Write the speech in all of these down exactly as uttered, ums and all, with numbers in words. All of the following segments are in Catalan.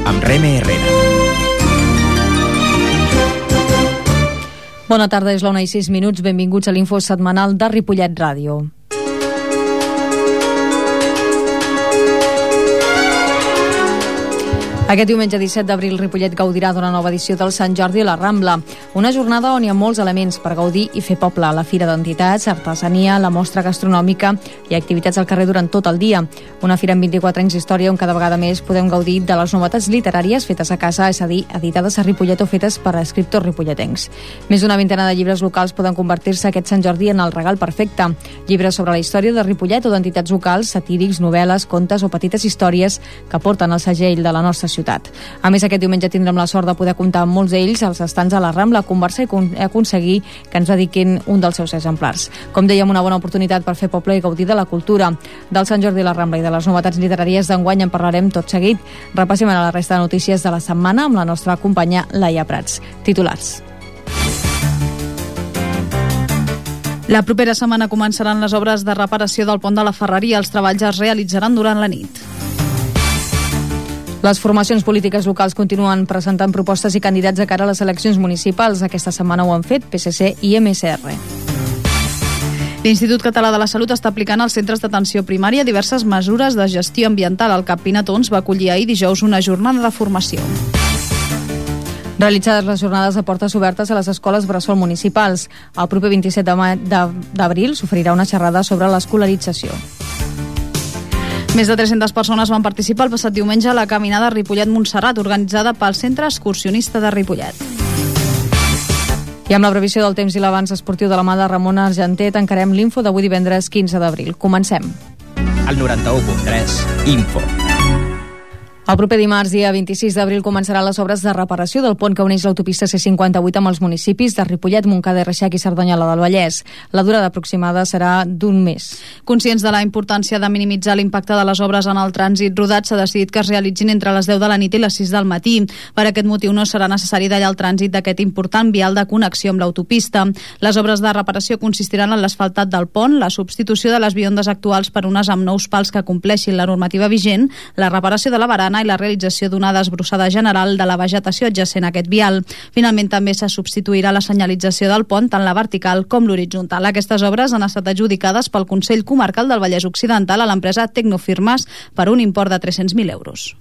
amb Reme Herrera. Bona tarda, és la una i sis minuts. Benvinguts a l'info setmanal de Ripollet Ràdio. Aquest diumenge disset d'abril, Ripollet gaudirà d'una nova edició del Sant Jordi a la Rambla, una jornada on hi ha molts elements per gaudir i fer poble. La fira d'entitats, artesania, la mostra gastronòmica i activitats al carrer durant tot el dia. Una fira amb vint-i-quatre anys d'història on cada vegada més podem gaudir de les novetats literàries fetes a casa, és a dir, editades a Ripollet o fetes per escriptors ripolletencs. Més d'una vintena de llibres locals poden convertir-se aquest Sant Jordi en el regal perfecte. Llibres sobre la història de Ripollet o d'entitats locals, satírics, novel·les, contes o petites històries que porten el segell de la nostra ciutat. ciutat. A més, aquest diumenge tindrem la sort de poder comptar amb molts d'ells als estants a la Rambla, a conversar i aconseguir que ens dediquin un dels seus exemplars. Com dèiem, una bona oportunitat per fer poble i gaudir de la cultura. Del Sant Jordi a la Rambla i de les novetats literàries d'enguany en parlarem tot seguit. Repassem ara la resta de notícies de la setmana amb la nostra companya Laia Prats. Titulars. La propera setmana començaran les obres de reparació del pont de la Ferreria. Els treballs es realitzaran durant la nit. Les formacions polítiques locals continuen presentant propostes i candidats a cara a les eleccions municipals. Aquesta setmana ho han fet P S C i M S R. L'Institut Català de la Salut està aplicant als centres d'atenció primària diverses mesures de gestió ambiental. El CAP Pinatons va acollir ahir dijous una jornada de formació. Realitzades les jornades de portes obertes a les escoles bressol municipals. El proper vint-i-set d'abril s'oferirà una xerrada sobre l'escolarització. Més de tres-centes persones van participar el passat diumenge a la caminada Ripollet-Montserrat, organitzada pel Centre Excursionista de Ripollet. I amb la previsió del temps i l'avanç esportiu de la mà de Ramon Argenter, tancarem l'info d'avui divendres quinze d'abril. Comencem. Al noranta-u punt tres, Info. El proper dimarts, dia vint-i-sis d'abril, començaran les obres de reparació del pont que uneix l'autopista C cinquanta-vuit amb els municipis de Ripollet, Montcada i Reixac i Cerdanyola del Vallès. La durada aproximada serà d'un mes. Conscients de la importància de minimitzar l'impacte de les obres en el trànsit rodat, s'ha decidit que es realitzin entre les deu de la nit i les sis del matí. Per aquest motiu no serà necessari tallar el trànsit d'aquest important vial de connexió amb l'autopista. Les obres de reparació consistiran en l'asfaltat del pont, la substitució de les biondes actuals per unes amb nous pals que compleixin la normativa vigent, la reparació de la barana i la realització d'una desbrossada general de la vegetació adjacent a aquest vial. Finalment, també se substituirà la senyalització del pont, tant la vertical com l'horitzontal. Aquestes obres han estat adjudicades pel Consell Comarcal del Vallès Occidental a l'empresa Tecnofirmes per un import de tres-cents mil euros.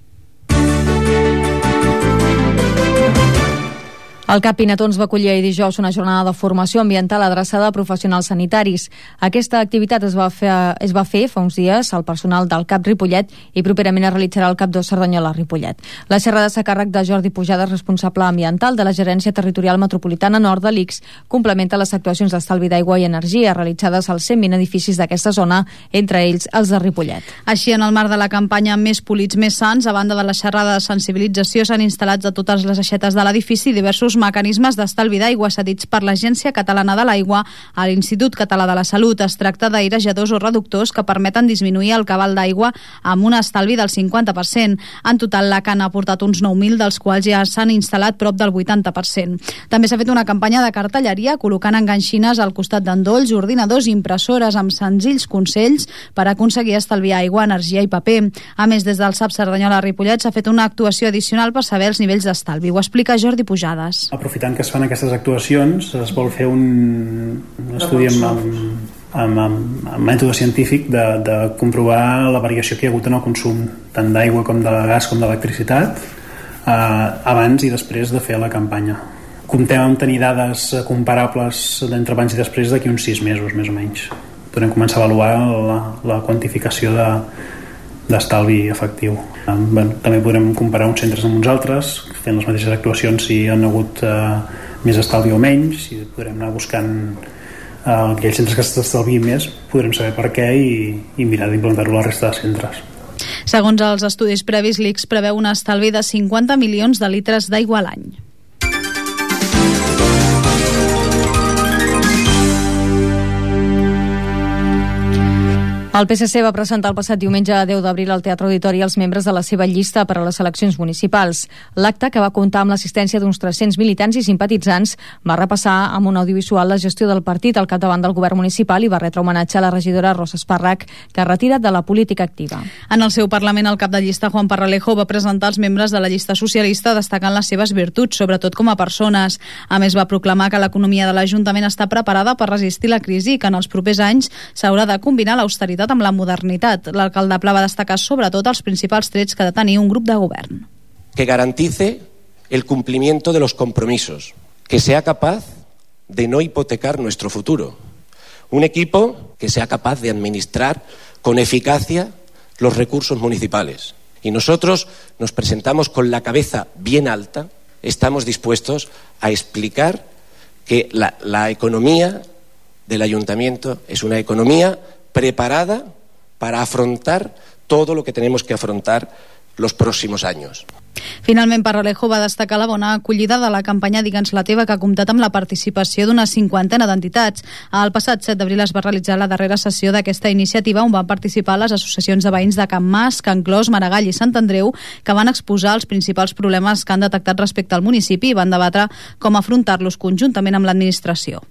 El CAP Pinatons va acollir ahir dijous una jornada de formació ambiental adreçada a professionals sanitaris. Aquesta activitat es va fer, es va fer fa uns dies al personal del CAP Ripollet i properament es realitzarà al CAP dos Cerdanyola Ripollet. La xerrada s'ha càrrec de Jordi Pujades, responsable ambiental de la Gerència Territorial Metropolitana Nord de l'I C S, complementa les actuacions d'estalvi d'aigua i energia realitzades als cent vint edificis d'aquesta zona, entre ells els de Ripollet. Així, en el marc de la campanya Més polits, més sants, a banda de la xerrada de sensibilització, s'han instal·lat a totes les aixetes de l'edifici diversos mecanismes d'estalvi d'aigua cedits per l'Agència Catalana de l'Aigua a l'Institut Català de la Salut. Es tracta d'airejadors o reductors que permeten disminuir el cabal d'aigua amb un estalvi del cinquanta per cent. En total, la Can ha aportat uns nou mil, dels quals ja s'han instal·lat prop del vuitanta per cent. També s'ha fet una campanya de cartelleria col·locant enganxines al costat d'endolls, ordinadors i impressores amb senzills consells per aconseguir estalviar aigua, energia i paper. A més, des del S A P Cerdanyola Ripollet s'ha fet una actuació addicional per saber els nivells d'estalvi. Ho explica Jordi Pujades. Aprofitant que es fan aquestes actuacions, es vol fer un, un estudi amb, amb, amb, amb, amb mètode científic de, de comprovar la variació que hi ha hagut en el consum tant d'aigua com de gas com d'electricitat eh, abans i després de fer la campanya. Comptem amb tenir dades comparables d'entre abans i després d'aquí uns sis mesos, més o menys. Podem començar a avaluar la, la quantificació de d'estalvi efectiu. Um, bueno, també podrem comparar uns centres amb uns altres, fent les mateixes actuacions si han hagut uh, més estalvi o menys, i podrem anar buscant uh, aquells centres que s'estalviïn més, podrem saber per què i, i mirar d'implantar-ho a la resta de centres. Segons els estudis previs, l'I C S preveu un estalvi de cinquanta milions de litres d'aigua a l'any. El P S C va presentar el passat diumenge deu d'abril al Teatre Auditori els membres de la seva llista per a les eleccions municipals. L'acte, que va comptar amb l'assistència d'uns tres-cents militants i simpatitzants, va repassar amb un audiovisual la gestió del partit al capdavant del govern municipal i va retre homenatge a la regidora Rosa Espàrrec, que es retira de la política activa. En el seu Parlament, el cap de llista, Juan Parralejo, va presentar els membres de la llista socialista destacant les seves virtuts, sobretot com a persones. A més, va proclamar que l'economia de l'Ajuntament està preparada per resistir la crisi i que en els propers anys s'haurà de combinar l'austeritat amb la modernitat. L'alcalde Pla va destacar sobretot els principals trets que ha de tenir un grup de govern. Que garantice el cumplimiento de los compromisos, que sea capaz de no hipotecar nuestro futuro. Un equipo que sea capaz de administrar con eficacia los recursos municipales. Y nosotros nos presentamos con la cabeza bien alta, estamos dispuestos a explicar que la, la economía del ayuntamiento es una economía preparada para afrontar todo lo que tenemos que afrontar los próximos años. Finalment, Parralejo va destacar la bona acollida de la campanya Digue'ns la teva, que ha comptat amb la participació d'una cinquantena d'entitats. El passat set d'abril es va realitzar la darrera sessió d'aquesta iniciativa, on van participar les associacions de veïns de Can Mas, Can Clos, Maragall i Sant Andreu, que van exposar els principals problemes que han detectat respecte al municipi i van debatre com afrontar-los conjuntament amb l'administració.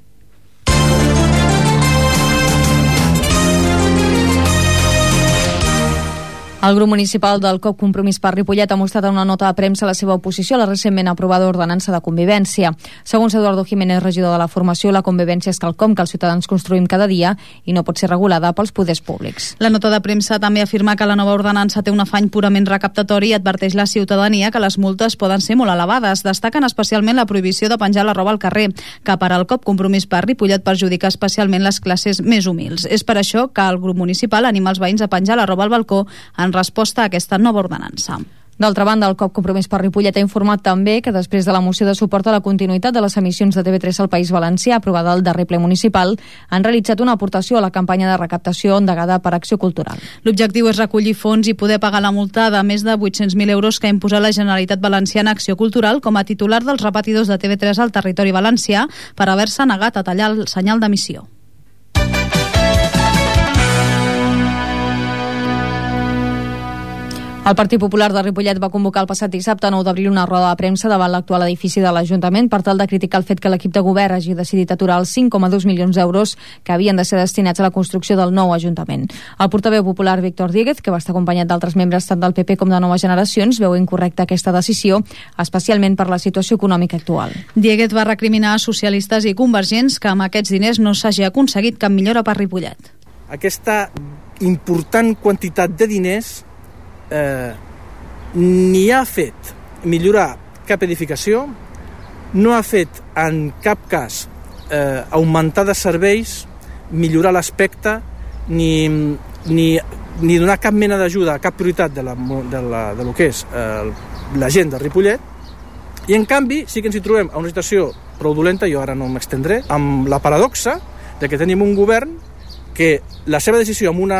El grup municipal del C O P Compromís per Ripollet ha mostrat en una nota de premsa la seva oposició a la recentment aprovada ordenança de convivència. Segons Eduardo Jiménez, regidor de la formació, la convivència és quelcom que els ciutadans construïm cada dia i no pot ser regulada pels poders públics. La nota de premsa també afirma que la nova ordenança té un afany purament recaptatori i adverteix la ciutadania que les multes poden ser molt elevades. Destaquen especialment la prohibició de penjar la roba al carrer, que per al C O P Compromís per Ripollet perjudica especialment les classes més humils. És per això que el grup municipal anima els veïns a penjar la roba al balcó en resposta a aquesta nova ordenança. D'altra banda, el C O P Compromís per Ripollet ha informat també que després de la moció de suport a la continuïtat de les emissions de T V tres al País Valencià aprovada al darrer ple municipal, han realitzat una aportació a la campanya de recaptació endegada per Acció Cultural. L'objectiu és recollir fons i poder pagar la multa de més de vuit-cents mil euros que ha imposat la Generalitat Valenciana Acció Cultural com a titular dels repetidors de T V tres al territori valencià per haver-se negat a tallar el senyal d'emissió. El Partit Popular de Ripollet va convocar el passat dissabte nou d'abril una roda de premsa davant l'actual edifici de l'Ajuntament per tal de criticar el fet que l'equip de govern hagi decidit aturar els cinc coma dos milions d'euros que havien de ser destinats a la construcció del nou Ajuntament. El portaveu popular Víctor Díguez, que va estar acompanyat d'altres membres tant del P P com de Noves Generacions, veu incorrecta aquesta decisió, especialment per la situació econòmica actual. Díguez va recriminar a socialistes i convergents que amb aquests diners no s'hagi aconseguit cap millora per Ripollet. Aquesta important quantitat de diners Eh, ni ha fet millorar cap edificació, no ha fet en cap cas eh, augmentar de serveis, millorar l'aspecte, ni, ni, ni donar cap mena d'ajuda, cap prioritat de, la, de, la, de lo que és eh, la gent de Ripollet. I en canvi sí que ens hi trobem a una situació prou dolenta, jo ara no m'extendré, amb la paradoxa de que tenim un govern que la seva decisió amb una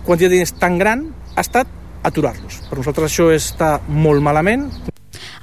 quantitat de diners tan gran ha estat aturar-los. Per nosaltres això està molt malament.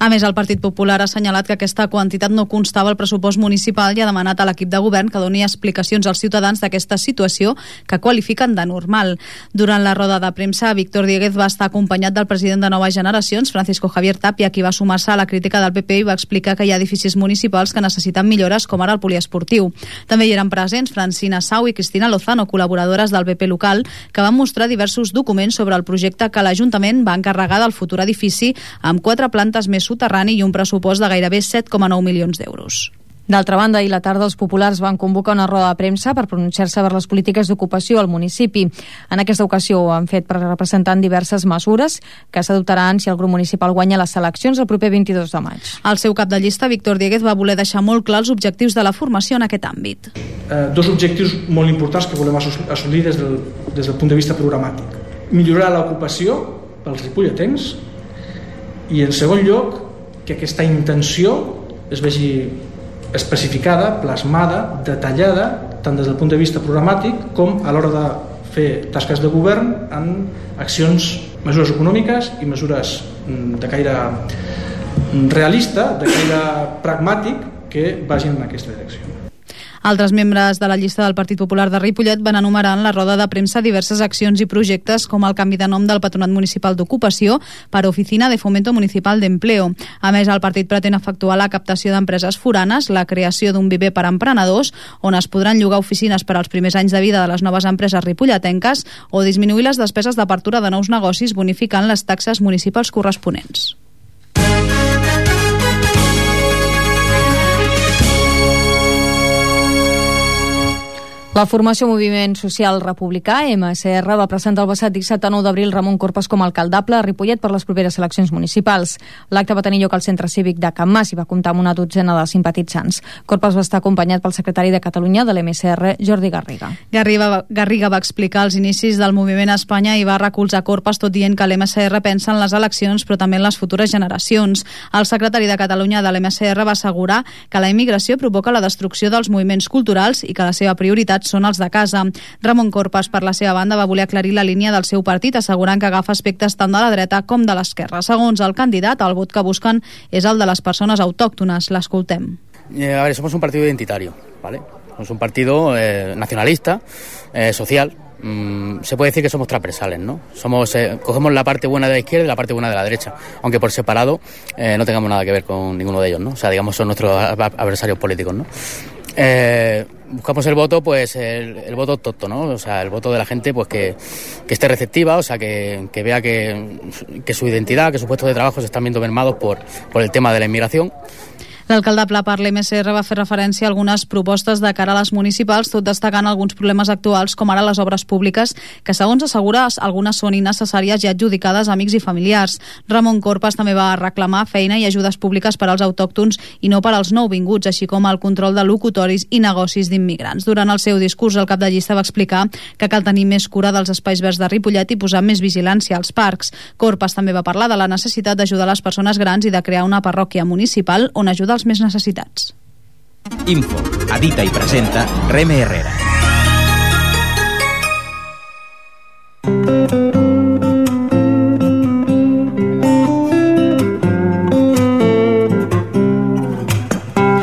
A més, el Partit Popular ha assenyalat que aquesta quantitat no constava al pressupost municipal i ha demanat a l'equip de govern que doni explicacions als ciutadans d'aquesta situació que qualifiquen de normal. Durant la roda de premsa, Víctor Díguez va estar acompanyat del president de Noves Generacions, Francisco Javier Tapia, qui va sumar-se a la crítica del P P i va explicar que hi ha edificis municipals que necessiten millores, com ara el poliesportiu. També hi eren presents Francina Sau i Cristina Lozano, col·laboradores del P P local, que van mostrar diversos documents sobre el projecte que l'Ajuntament va encarregar del futur edifici amb quatre plantes més soterrani i un pressupost de gairebé set coma nou milions d'euros. D'altra banda, ahir a la tarda els populars van convocar una roda de premsa per pronunciar-se per les polítiques d'ocupació al municipi. En aquesta ocasió ho han fet per representant diverses mesures que s'adoptaran si el grup municipal guanya les eleccions el proper vint-i-dos de maig. El seu cap de llista, Víctor Díguez, va voler deixar molt clar els objectius de la formació en aquest àmbit. Eh, dos objectius molt importants que volem assolir des del, des del punt de vista programàtic. Millorar l'ocupació pels ripolletens i, en segon lloc, que aquesta intenció es vegi especificada, plasmada, detallada, tant des del punt de vista programàtic com a l'hora de fer tasques de govern en accions, mesures econòmiques i mesures de caire realista, de caire pragmàtic, que vagin en aquesta direcció. Altres membres de la llista del Partit Popular de Ripollet van enumerar en la roda de premsa diverses accions i projectes com el canvi de nom del Patronat Municipal d'Ocupació per Oficina de Fomento Municipal d'Empleo. A més, el partit pretén efectuar la captació d'empreses foranes, la creació d'un viver per a emprenedors, on es podran llogar oficines per als primers anys de vida de les noves empreses ripolletenques, o disminuir les despeses d'apertura de nous negocis bonificant les taxes municipals corresponents. La formació Moviment Social Republicà, M S R, va presentar el passat dissabte nou d'abril Ramon Corpas com a alcaldable a Ripollet per les properes eleccions municipals. L'acte va tenir lloc al Centre Cívic de Can Mas i va comptar amb una dotzena de simpatitzants. Corpas va estar acompanyat pel secretari de Catalunya de l'M S R, Jordi Garriga. Garriga, Garriga va explicar els inicis del moviment a Espanya i va recolzar Corpas tot dient que l'M S R pensa en les eleccions però també en les futures generacions. El secretari de Catalunya de l'M S R va assegurar que la immigració provoca la destrucció dels moviments culturals i que la seva prioritat són els de casa. Ramon Corpas, per la seva banda, va voler aclarir la línia del seu partit, assegurant que agafa aspectes tant de la dreta com de l'esquerra. Segons el candidat, el vot que busquen és el de les persones autòctones. L'escoltem. Eh, a ver, somos un partido identitario, ¿vale? Somos un partido eh, nacionalista, eh, social. Mm, se puede decir que somos transversales, ¿no? Somos, eh, cogemos la parte buena de la izquierda y la parte buena de la derecha, aunque por separado eh, no tengamos nada que ver con ninguno de ellos, ¿no? O sea, digamos, son nuestros adversarios políticos, ¿no? Eh, buscamos el voto, pues el, el voto tonto, ¿no? O sea, el voto de la gente, pues que, que esté receptiva, o sea, que, que vea que, que su identidad, que sus puestos de trabajo se están viendo mermados por, por el tema de la inmigración. L'alcaldable per l'M S R va fer referència a algunes propostes de cara a les municipals, tot destacant alguns problemes actuals, com ara les obres públiques, que segons assegura algunes són innecessàries i adjudicades a amics i familiars. Ramon Corpas també va reclamar feina i ajudes públiques per als autòctons i no per als nouvinguts, així com el control de locutoris i negocis d'immigrants. Durant el seu discurs, el cap de llista va explicar que cal tenir més cura dels espais verds de Ripollet i posar més vigilància als parcs. Corpas també va parlar de la necessitat d'ajudar les persones grans i de crear una parròquia municipal on ajudar els més necessitats. Info, edita i presenta Reme Herrera.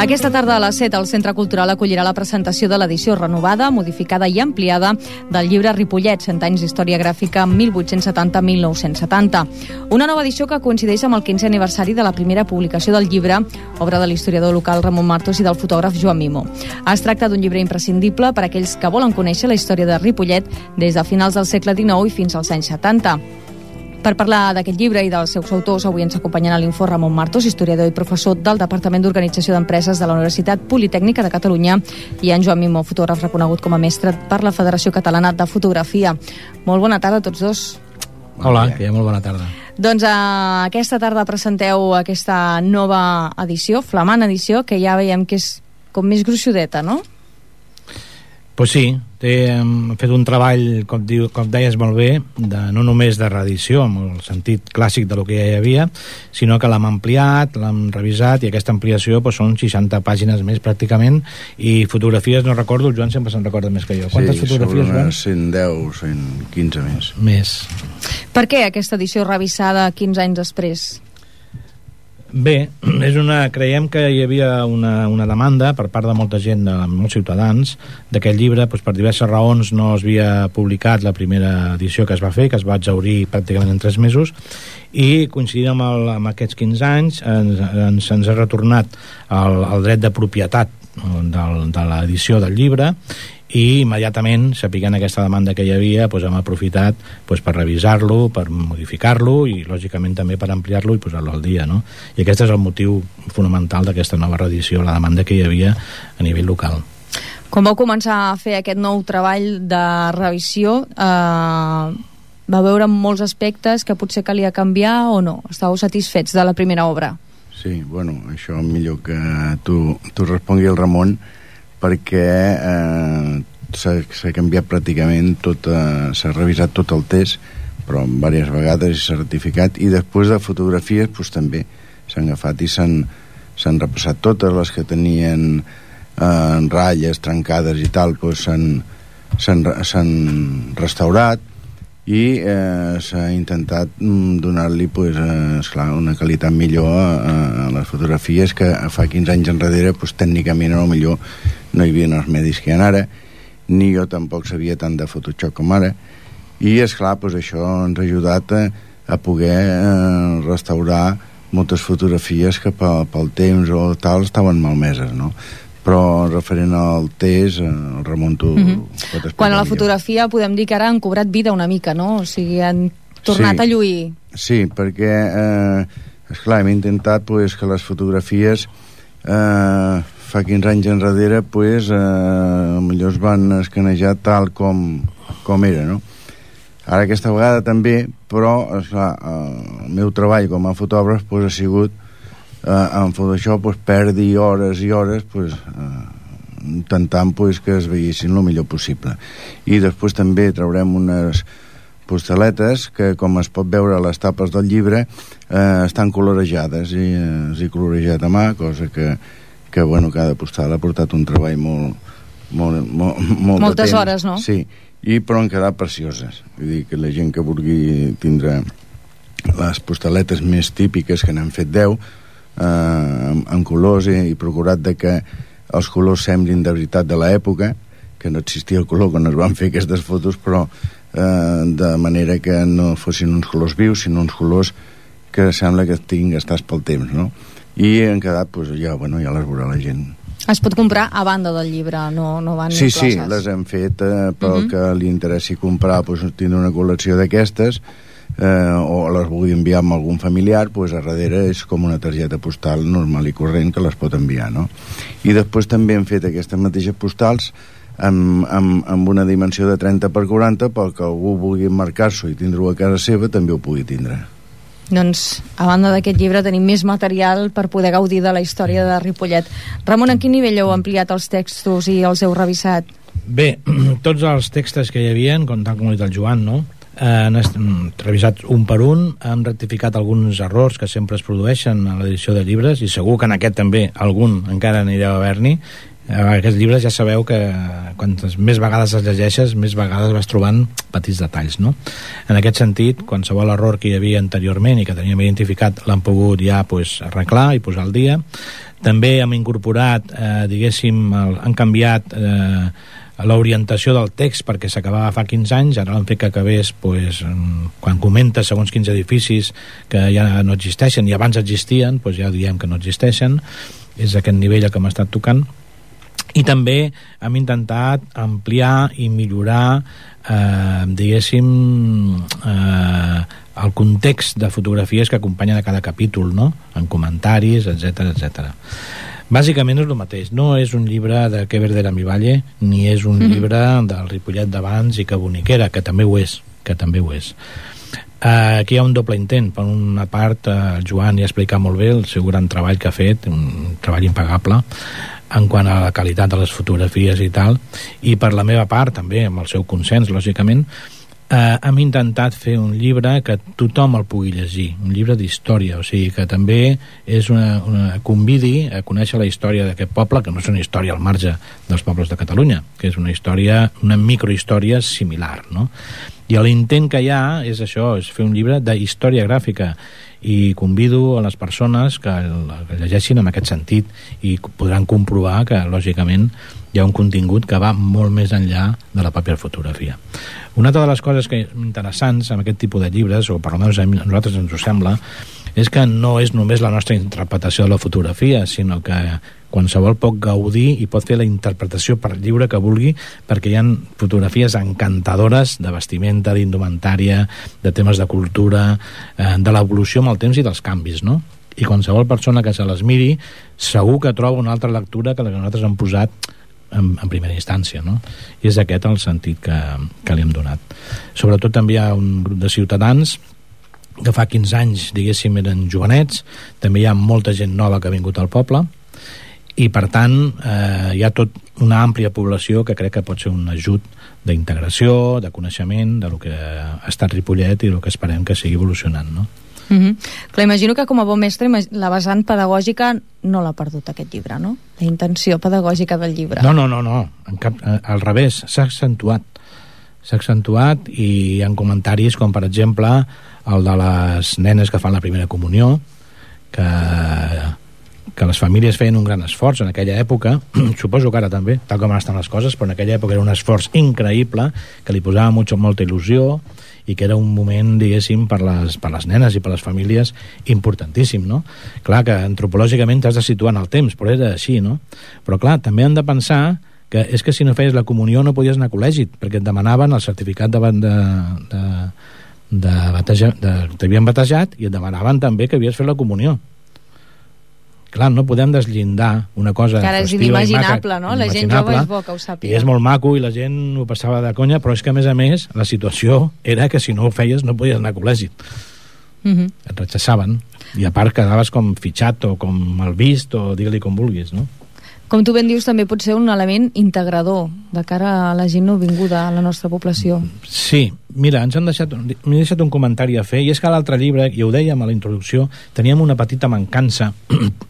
Aquesta tarda a les set el Centre Cultural acollirà la presentació de l'edició renovada, modificada i ampliada del llibre Ripollet, cent anys d'història gràfica mil vuit-cents setanta a mil nou-cents setanta. Una nova edició que coincideix amb el quinzè aniversari de la primera publicació del llibre, obra de l'historiador local Ramon Martos i del fotògraf Joan Mimo. Es tracta d'un llibre imprescindible per a aquells que volen conèixer la història de Ripollet des de finals del segle dinou i fins als anys setanta. Per parlar d'aquest llibre i dels seus autors, avui ens acompanyen a l'Info Ramon Martos, historiador i professor del Departament d'Organització d'Empreses de la Universitat Politècnica de Catalunya, i en Joan Mimo, fotògraf reconegut com a mestre per la Federació Catalana de Fotografia. Molt bona tarda a tots dos. Hola, que hi ha molt bona tarda. Doncs eh, aquesta tarda presenteu aquesta nova edició, flamant edició, que ja veiem que és com més gruixudeta, no? Pues sí, hem fet un treball, com, diu, com deies molt bé, de, no només de reedició, en el sentit clàssic de lo que ja hi havia, sinó que l'hem ampliat, l'hem revisat, i aquesta ampliació pues, són seixanta pàgines més pràcticament, i fotografies, no recordo, el Joan sempre se'n recorda més que jo. Quantes sí, fotografies, Joan? Sí, cent deu, cent quinze més. Més. Per què aquesta edició revisada quinze anys després? Bé, és una, creiem que hi havia una, una demanda per part de molta gent, de molts ciutadans, d'aquest llibre, doncs per diverses raons no es havia publicat la primera edició que es va fer, que es va exhaurir pràcticament en tres mesos, i coincidint amb, el, amb aquests quinze anys ens, ens, ens ha retornat el, el dret de propietat del, de l'edició del llibre, i immediatament, sapiguent aquesta demanda que hi havia, doncs hem aprofitat doncs, per revisar-lo, per modificar-lo i lògicament també per ampliar-lo i posar-lo al dia, no? I aquest és el motiu fonamental d'aquesta nova reedició, la demanda que hi havia a nivell local. Quan vau començar a fer aquest nou treball de revisió, eh, va veure molts aspectes que potser calia canviar o no? Estàveu satisfets de la primera obra? Sí, bueno, això millor que tu, tu respongui el Ramon, perquè eh, s'ha canviat pràcticament tot, eh, s'ha revisat tot el test, però diverses vegades i s'ha ratificat, i després de fotografies pues, també s'han agafat i s'han repassat totes les que tenien eh, ratlles trencades i tal, pues, s'han restaurat, i eh, s'ha intentat donar-li pues, eh, esclar, una qualitat millor a, a les fotografies que fa quinze anys enrere pues, tècnicament a lo millor no hi havia els medis que hi ha ara, ni jo tampoc sabia tant de Photoshop com ara, i esclar, pues, això ens ha ajudat a, a poder eh, restaurar moltes fotografies que pel, pel temps o tal estaven malmeses, no? Però referent al test, el Ramon tu mm-hmm. pot explicar. Quan a la millor. Fotografia podem dir que ara han cobrat vida una mica, no? O sigui, han tornat sí. a lluir. Sí, perquè eh, esclar, hem intentat pues, que les fotografies eh, fa quinze anys enrere pues, eh, millor es van escanejar tal com, com era, no? Ara aquesta vegada també, però esclar, el meu treball com a fotògraf pues, ha sigut Uh, en Photoshop pues, perdi hores i hores pues, uh, intentant pues, que es veiessin el millor possible, i després també traurem unes postaletes que, com es pot veure a les tapes del llibre, uh, estan colorejades i uh, els he colorejat a mà, cosa que, que bueno, cada postal ha portat un treball molt, molt, molt, molt moltes de temps. hores, no? Sí, i però han quedat precioses, vull dir que la gent que vulgui tindre les postaletes més típiques, que n'hem fet deu Eh, en, en colors i, i procurat de que els colors semblin de veritat de l'època, que no existia el color quan es van fer aquestes fotos, però eh, de manera que no fossin uns colors vius, sinó uns colors que sembla que estiguin gastats pel temps, no? I han quedat, pues, ja, bueno, ja les veurà la gent. Es pot comprar a banda del llibre, no, no van sí, incloses. Sí, les hem fet eh, pel uh-huh. que li interessi comprar, pues, tindre una col·lecció d'aquestes, Eh, o les vulgui enviar amb algun familiar, pues a darrere és com una targeta postal normal i corrent que les pot enviar, no? I després també hem fet aquestes mateixes postals amb, amb, amb una dimensió de trenta per quaranta perquè algú vulgui marcar-s'ho i tindre-ho a casa seva també ho pugui tindre. Doncs, a banda d'aquest llibre tenim més material per poder gaudir de la història de Ripollet. Ramon, en quin nivell heu ampliat els textos i els heu revisat? Bé, tots els textos que hi havia, com tal com ha dit el Joan, no? han revisat un per un, han rectificat alguns errors que sempre es produeixen a l'edició de llibres, i segur que en aquest també algun encara n'hi deu haver-n'hi. Aquests llibres ja sabeu que quantes més vegades els llegeixes, més vegades vas trobant petits detalls, no? En aquest sentit, qualsevol error que hi havia anteriorment i que teníem identificat l'han pogut ja pues, arreglar i posar al dia. També hem incorporat, eh, diguéssim, el, han canviat eh, l'orientació del text perquè s'acabava fa quinze anys, ara l'han fet que acabés pues, quan comenta segons quins edificis que ja no existeixen i abans existien, pues ja diem que no existeixen. És aquest nivell el que hem estat tocant. I també hem intentat ampliar i millorar eh, diguéssim eh, el context de fotografies que acompanyen a cada capítol, no? En comentaris, etcètera, etcètera. Bàsicament és el mateix, no és un llibre de Que verde era mi valle, ni és un mm-hmm. llibre del Ripollet d'abans i que boniquera, que també ho és, que també ho és. Uh, aquí hi ha un doble intent. Per una part, uh, el Joan ja ha explicat molt bé el seu gran treball que ha fet, un treball impagable, en quant a la qualitat de les fotografies i tal, i per la meva part també, amb el seu consens, lògicament, eh, hem intentat fer un llibre que tothom el pugui llegir, un llibre d'història, o sigui que també és una, una convidi a conèixer la història d'aquest poble, que no és una història al marge dels pobles de Catalunya, que és una història, una microhistòria similar, no? I l'intent que hi ha és això, és fer un llibre de història gràfica, i convido a les persones que el llegeixin en aquest sentit i podran comprovar que lògicament hi ha un contingut que va molt més enllà de la paper fotografia. Una altra de les coses que interessants en aquest tipus de llibres, o per almenys a nosaltres ens ho sembla, és que no és només la nostra interpretació de la fotografia, sinó que qualsevol pot gaudir i pot fer la interpretació per lliure que vulgui, perquè hi ha fotografies encantadores de vestimenta, d'indumentària, de temes de cultura, eh, de l'evolució amb el temps i dels canvis, no? I qualsevol persona que se les miri segur que troba una altra lectura que la que nosaltres hem posat en, en primera instància, no? I és aquest el sentit que, que li hem donat. Sobretot també hi ha un grup de ciutadans que fa quinze anys, diguéssim, eren jovenets, també hi ha molta gent nova que ha vingut al poble, i per tant eh, hi ha tot una àmplia població que crec que pot ser un ajut d'integració, de coneixement de lo que ha estat Ripollet i el que esperem que sigui evolucionant, no? Mm-hmm. Clar, imagino que com a bon mestre la vessant pedagògica no l'ha perdut aquest llibre, no? La intenció pedagògica del llibre. No, no, no, no. En cap, al revés, s'ha accentuat. s'ha accentuat, i hi ha comentaris com, per exemple, el de les nenes que fan la primera comunió, que, que les famílies feien un gran esforç en aquella època, suposo que ara també, tal com estan les coses, però en aquella època era un esforç increïble, que li posava mucho, molta il·lusió, i que era un moment, diguéssim, per les, per les nenes i per les famílies importantíssim, no? Clar que antropològicament t'has de situar en el temps, però era així, no? Però clar, també hem de pensar que és que si no feies la comunió no podies anar a col·legi, perquè et demanaven el certificat de, de, de, de, bateja, de t'havien batejat, i et demanaven també que havies fet la comunió. Clar, no podem deslindar una cosa festiva és inimaginable, no? La gent jove és bo que ho sàpiga. I és molt maco i la gent ho passava de conya, però és que a més a més la situació era que si no ho feies no podies anar a col·legi. Uh-huh. Et rechaçaven, i a part quedaves com fitxat o com mal vist o digue-li com vulguis, no? Com tu ben dius, també pot ser un element integrador de cara a la gent nouvinguda a la nostra població. Sí, mira, ens han deixat, m'he deixat un comentari a fer, i és que a l'altre llibre, i ho dèiem a la introducció, teníem una petita mancança,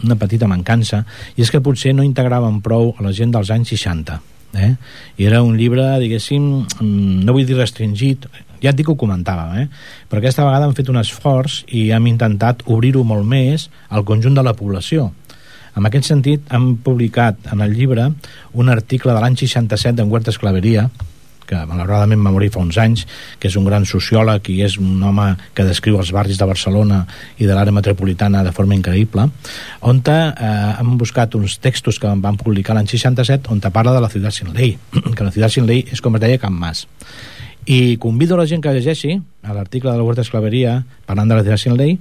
una petita mancança, i és que potser no integràvem prou a la gent dels anys seixanta. Eh? I era un llibre, diguéssim, no vull dir restringit, ja et dic que ho comentàvem, eh? però aquesta vegada hem fet un esforç i hem intentat obrir-ho molt més al conjunt de la població. En aquest sentit, hem publicat en el llibre un article de l'any seixanta-set d'en Huerta Esclaveria, que malauradament va morir fa uns anys, que és un gran sociòleg i és un home que descriu els barris de Barcelona i de l'àrea metropolitana de forma increïble, on eh, hem buscat uns textos que van publicar l'any seixanta-set on parla de la ciutat sin ley, que la ciutat sin ley és, com es deia, Can Mas. I convido a la gent que llegeixi l'article de la Huerta Esclaveria parlant de la ciutat sin ley,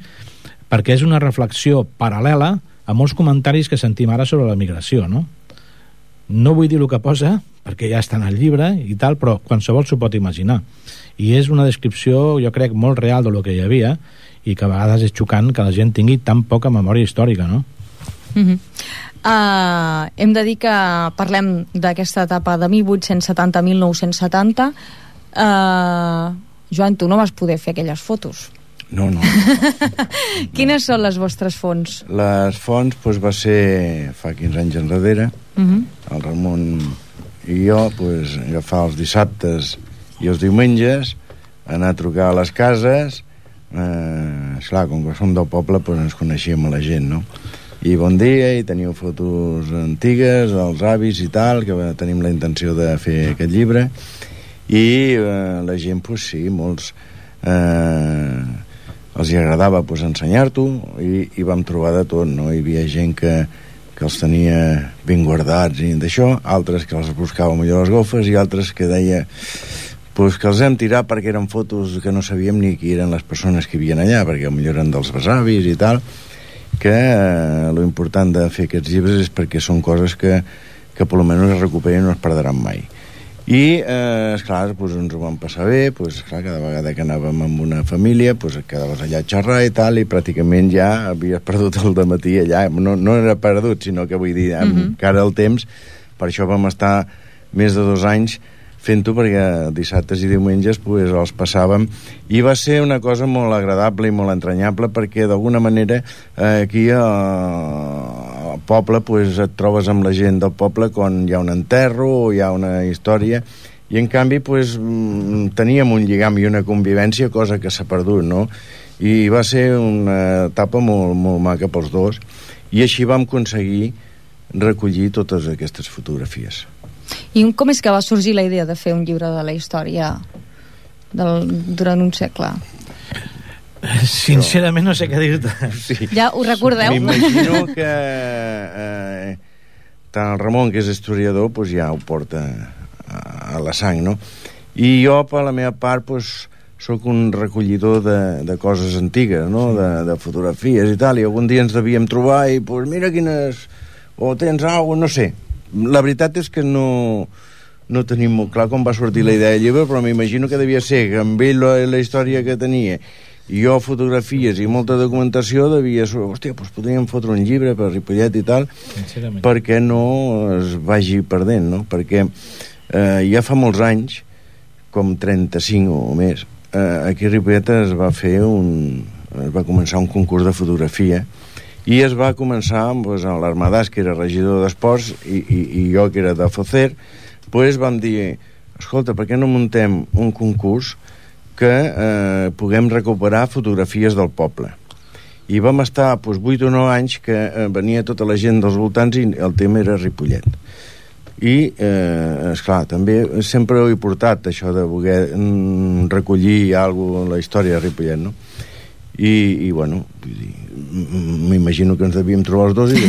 perquè és una reflexió paral·lela a molts comentaris que sentim ara sobre la migració, no? No vull dir el que posa, perquè ja està en el llibre i tal, però qualsevol s'ho pot imaginar. I és una descripció, jo crec, molt real de lo que hi havia, i que a vegades és xocant que la gent tingui tan poca memòria històrica, no? Uh-huh. Uh, hem de dir que parlem d'aquesta etapa de mil vuit-cents setanta a mil nou-cents setanta. Uh, Joan, tu no vas poder fer aquelles fotos. No, no. Quines són les vostres fonts? Les fonts pues, va ser fa quinze anys enrere. Uh-huh. El Ramon i jo pues, agafar els dissabtes i els diumenges, anar a trucar a les cases. Eh, esclar, com que som del poble pues, ens coneixíem a la gent, no? I bon dia, i teniu fotos antigues dels avis i tal, que tenim la intenció de fer aquest llibre. I eh, la gent, pues sí, molts eh, els hi agradava pues, ensenyar-t'ho, i, i vam trobar de tot, no? Hi havia gent que, que els tenia ben guardats i d'això, altres que els buscava millor les golfes, i altres que deia pues, que els hem tirat perquè eren fotos que no sabíem ni qui eren les persones que hi havia allà, perquè potser eren dels besavis i tal, que eh, lo important de fer aquests llibres és perquè són coses que, que per almenys es recuperen i no es perdran mai. I, eh, esclar, pues, ens ho vam passar bé, pues, esclar, cada vegada que anàvem amb una família, pues, quedaves allà a xerrar i tal, i pràcticament ja havies perdut el dematí allà. No, no era perdut, sinó que vull dir, amb uh-huh. cara al temps, per això vam estar més de dos anys fent-ho, perquè dissabtes i diumenges pues, els passàvem, i va ser una cosa molt agradable i molt entranyable, perquè d'alguna manera eh, aquí a, al poble pues, et trobes amb la gent del poble quan hi ha un enterro o hi ha una història, i en canvi pues, teníem un lligam i una convivència, cosa que s'ha perdut, no? I va ser una etapa molt, molt maca pels dos, i així vam aconseguir recollir totes aquestes fotografies. I com és que va sorgir la idea de fer un llibre de la història del, durant un segle? Sincerament no sé què dir-te. Sí. Ja ho recordeu? M'imagino que eh, tant el Ramon, que és historiador, pues ja ho porta a, a la sang, no? I jo, per la meva part, pues, sóc un recollidor de, de coses antigues, no? De, de fotografies i tal, i algun dia ens devíem trobar i, pues, mira quines... o tens alguna, no sé. La veritat és que no, no tenim molt clar com va sortir la idea del llibre, però m'imagino que devia ser que amb ell la, la història que tenia i jo fotografies i molta documentació devia ser, hòstia, doncs podríem fotre un llibre per Ripollet i tal, perquè no es vagi perdent, no? Perquè eh, ja fa molts anys, com trenta-cinc o més, eh, aquí a Ripollet es va fer un... es va començar un concurs de fotografia, i es va començar pues, a l'Armadàs, que era regidor d'Esports, i, i, i jo, que era de Focer, pues, vam dir, escolta, per què no muntem un concurs que eh, puguem recuperar fotografies del poble? I vam estar doncs, vuit o nou anys que eh, venia tota la gent dels voltants i el tema era Ripollet. I, eh, esclar, també sempre ho he portat, això de voler mm, recollir alguna cosa, la història de Ripollet, no? I, i bueno, m'imagino que ens devíem trobar els dos i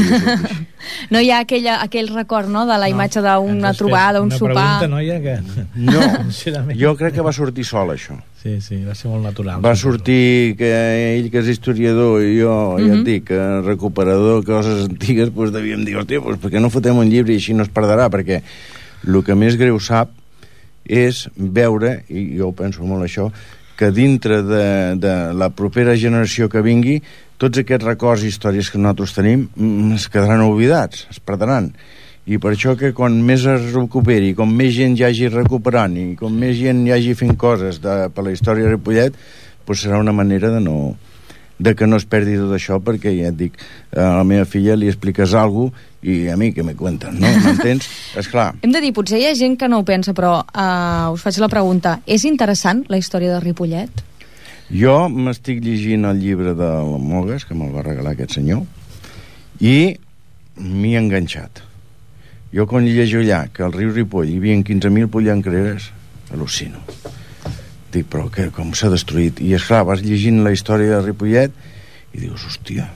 no hi ha aquella, aquell record, no?, de la no, imatge d'una trobada, un sopar. Una pregunta, noia, que... No, jo crec que va sortir sol, això. Sí, sí, va ser molt natural. Va sortir que ell, que és historiador, i jo, mm -hmm. ja et dic, recuperador de coses antigues, doncs devíem dir, hòstia, doncs per què no fotem un llibre i així no es perdrà? Perquè el que més greu sap és veure, i jo penso molt això, que dintre de, de la propera generació que vingui, tots aquests records i històries que nosaltres tenim es quedaran oblidats, es perdran. I per això que quan més es recuperi, com més gent hi hagi recuperant i com més gent hi hagi fent coses de, per la història de Ripollet, doncs serà una manera de no de que no es perdi tot això, perquè ja et dic, a la meva filla li expliques alguna cosa i a mi que me cuenten, no? M'entens? Esclar. Hem de dir, potser hi ha gent que no ho pensa, però uh, us faig la pregunta, és interessant la història de Ripollet? Jo m'estic llegint el llibre de la Mogues, que me'l va regalar aquest senyor, i m'hi he enganxat. Jo quan llegeixo allà que al riu Ripoll hi havia quinze mil pollancreres, al·lucino. Dic, però què, com s'ha destruït? I esclar, vas llegint la història de Ripollet i dius, hòstia,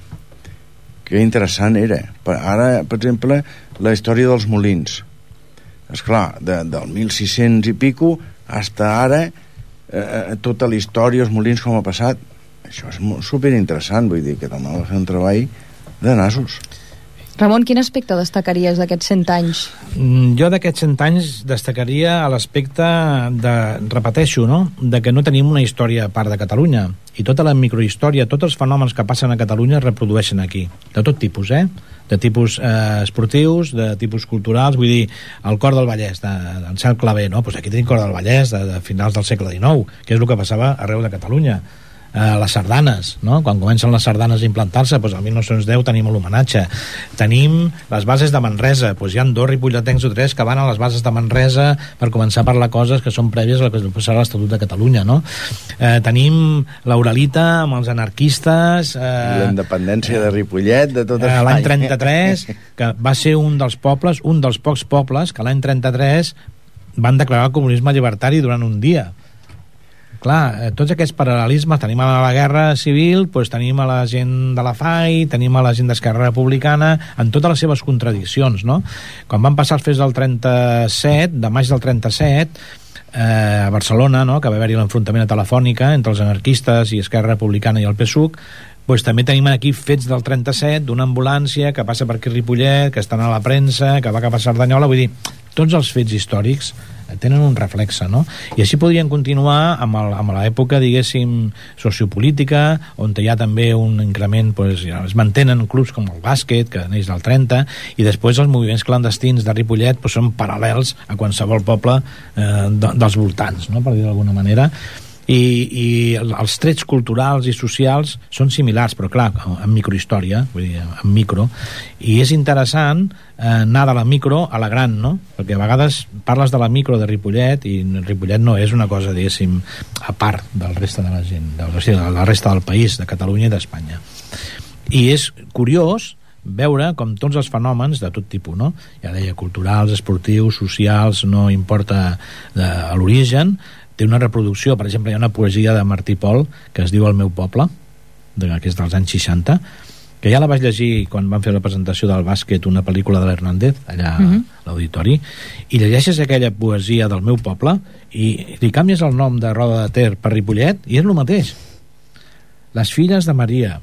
que interessant era. Ara, per exemple, la història dels molins. Esclar, de, del mil sis-cents i pico fins ara, eh, tota la història, els molins, com ha passat. Això és superinteressant, vull dir que també va fer un treball de nassos. Ramon, quin aspecte destacaries d'aquests cent anys? Jo d'aquests cent anys destacaria l'aspecte de, repeteixo, no?, de que no tenim una història a part de Catalunya. I tota la microhistòria, tots els fenòmens que passen a Catalunya es reprodueixen aquí. De tot tipus, eh? De tipus eh, esportius, de tipus culturals, vull dir, el Cor del Vallès, d'Ancel Clavé, no? Pues aquí tenim Cor del Vallès, de, de finals del segle dinou, que és el que passava arreu de Catalunya. Uh, les sardanes, no? Quan comencen les sardanes a implantar-se, doncs el mil nou-cents deu tenim l'homenatge. Tenim les bases de Manresa, doncs hi ha dos ripolletens o tres que van a les bases de Manresa per començar a parlar coses que són prèvies a la que serà l'Estatut de Catalunya, no? Uh, tenim l'Uralita amb els anarquistes... Uh, la independència de Ripollet, de tot Espanya. Uh, l'any trenta-tres, que va ser un dels pobles, un dels pocs pobles que l'any trenta-tres van declarar el comunisme llibertari durant un dia. Clar, tots aquests paral·lelismes, tenim a la guerra civil, doncs tenim a la gent de la F A I, tenim a la gent d'Esquerra Republicana, en totes les seves contradiccions, no? Quan van passar els fets del trenta-set, de maig del trenta-set, eh, a Barcelona, no?, que va haver-hi l'enfrontament a Telefònica entre els anarquistes i Esquerra Republicana i el P S U C, doncs també tenim aquí fets del trenta-set, d'una ambulància que passa per aquí Ripollet, que estan a la premsa, que va cap a Cerdanyola, vull dir, tots els fets històrics tenen un reflexe, no? I així podrien continuar amb, el, amb l'època, diguéssim, sociopolítica, on hi ha també un increment, doncs, ja es mantenen clubs com el bàsquet, que neix del trenta, i després els moviments clandestins de Ripollet doncs, són paral·lels a qualsevol poble eh, de, dels voltants, no?, per dir d'alguna manera. I, i els trets culturals i socials són similars, però clar, en microhistòria, vull dir, en micro, i és interessant eh, anar de la micro a la gran, no? Perquè a vegades parles de la micro de Ripollet i Ripollet no és una cosa, diguéssim, a part del resta de la gent, de, o sigui, de la resta del país, de Catalunya i d'Espanya. I és curiós veure com tots els fenòmens de tot tipus, no? Ja deia, culturals, esportius, socials, no importa de, l'origen, té una reproducció. Per exemple, hi ha una poesia de Martí Pol que es diu El meu poble, de, que és dels anys seixanta, que ja la vaig llegir quan van fer la presentació del bàsquet, una pel·lícula de l'Hernández allà uh-huh. a l'auditori, i llegeixes aquella poesia del meu poble i li canvies el nom de Roda de Ter per Ripollet i és el mateix. Les filles de Maria,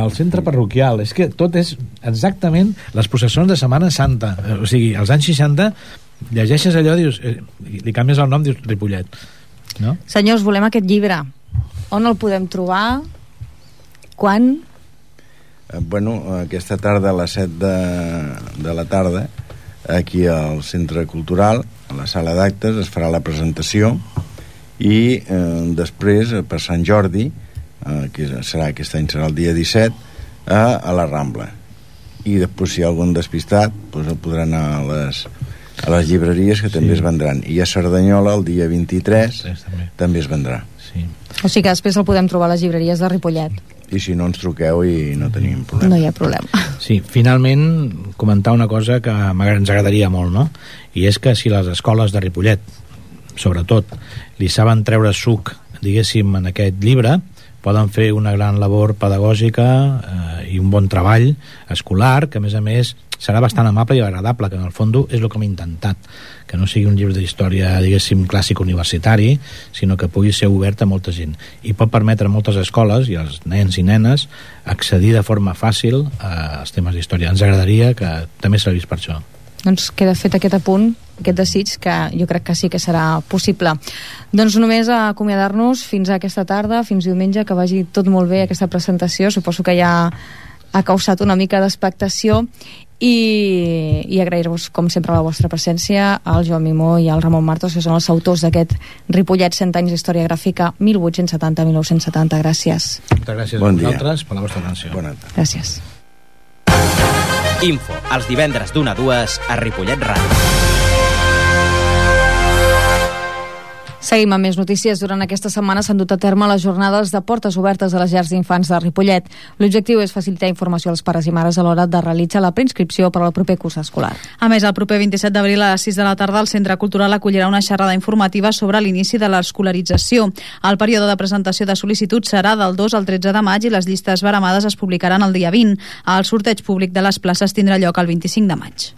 el centre parroquial, és que tot és exactament les processons de Setmana Santa, o sigui, als anys seixanta llegeixes allò, dius, eh, li canvies el nom, dius Ripollet, no? Senyors, volem aquest llibre. On el podem trobar? Quan? Eh, bueno, aquesta tarda a les set de, de la tarda, aquí al Centre Cultural, a la sala d'actes, es farà la presentació i eh, després, per Sant Jordi, eh, que serà aquest any serà el dia disset, a, a la Rambla. I després, si hi ha algun despistat, doncs el podrà anar a les a les llibreries, que sí. també es vendran. I a Cerdanyola, el dia vint-i-tres, també. també es vendrà. Sí. O sigui que després el podem trobar a les llibreries de Ripollet. I si no, ens truqueu i no tenim problema. No hi ha problema. Sí, finalment, comentar una cosa que ens agradaria molt, no? I és que si les escoles de Ripollet, sobretot, li saben treure suc, diguéssim, en aquest llibre, poden fer una gran labor pedagògica eh, i un bon treball escolar, que a més a més serà bastant amable i agradable, que en el fons és el que hem intentat, que no sigui un llibre d'història, diguéssim, clàssic universitari, sinó que pugui ser obert a molta gent. I pot permetre a moltes escoles i als nens i nenes accedir de forma fàcil als temes d'història. Ens agradaria que també servís per això. Doncs queda fet aquest apunt, aquest desig, que jo crec que sí que serà possible. Doncs només a acomiadar-nos fins a aquesta tarda, fins diumenge, que vagi tot molt bé aquesta presentació. Suposo que ja ha causat una mica d'expectació i, i agrair-vos com sempre la vostra presència, al Joan Mimó i al Ramon Martos, que són els autors d'aquest Ripollet cent anys d'història gràfica mil vuit-cents setanta a mil nou-cents setanta. Gràcies. Moltes gràcies bon a vosaltres per la vostra atenció. Bona tarda. Gràcies. Info, els divendres d'una a dues a Ripollet Ràdio. Seguim amb més notícies. Durant aquesta setmana s'han dut a terme les jornades de portes obertes a les llars d'infants de Ripollet. L'objectiu és facilitar informació als pares i mares a l'hora de realitzar la preinscripció per al proper curs escolar. A més, el proper vint-i-set d'abril a les sis de la tarda el Centre Cultural acollirà una xerrada informativa sobre l'inici de l'escolarització. El període de presentació de sol·licituds serà del dos al tretze de maig i les llistes baremades es publicaran el dia vint. El sorteig públic de les places tindrà lloc el vint-i-cinc de maig.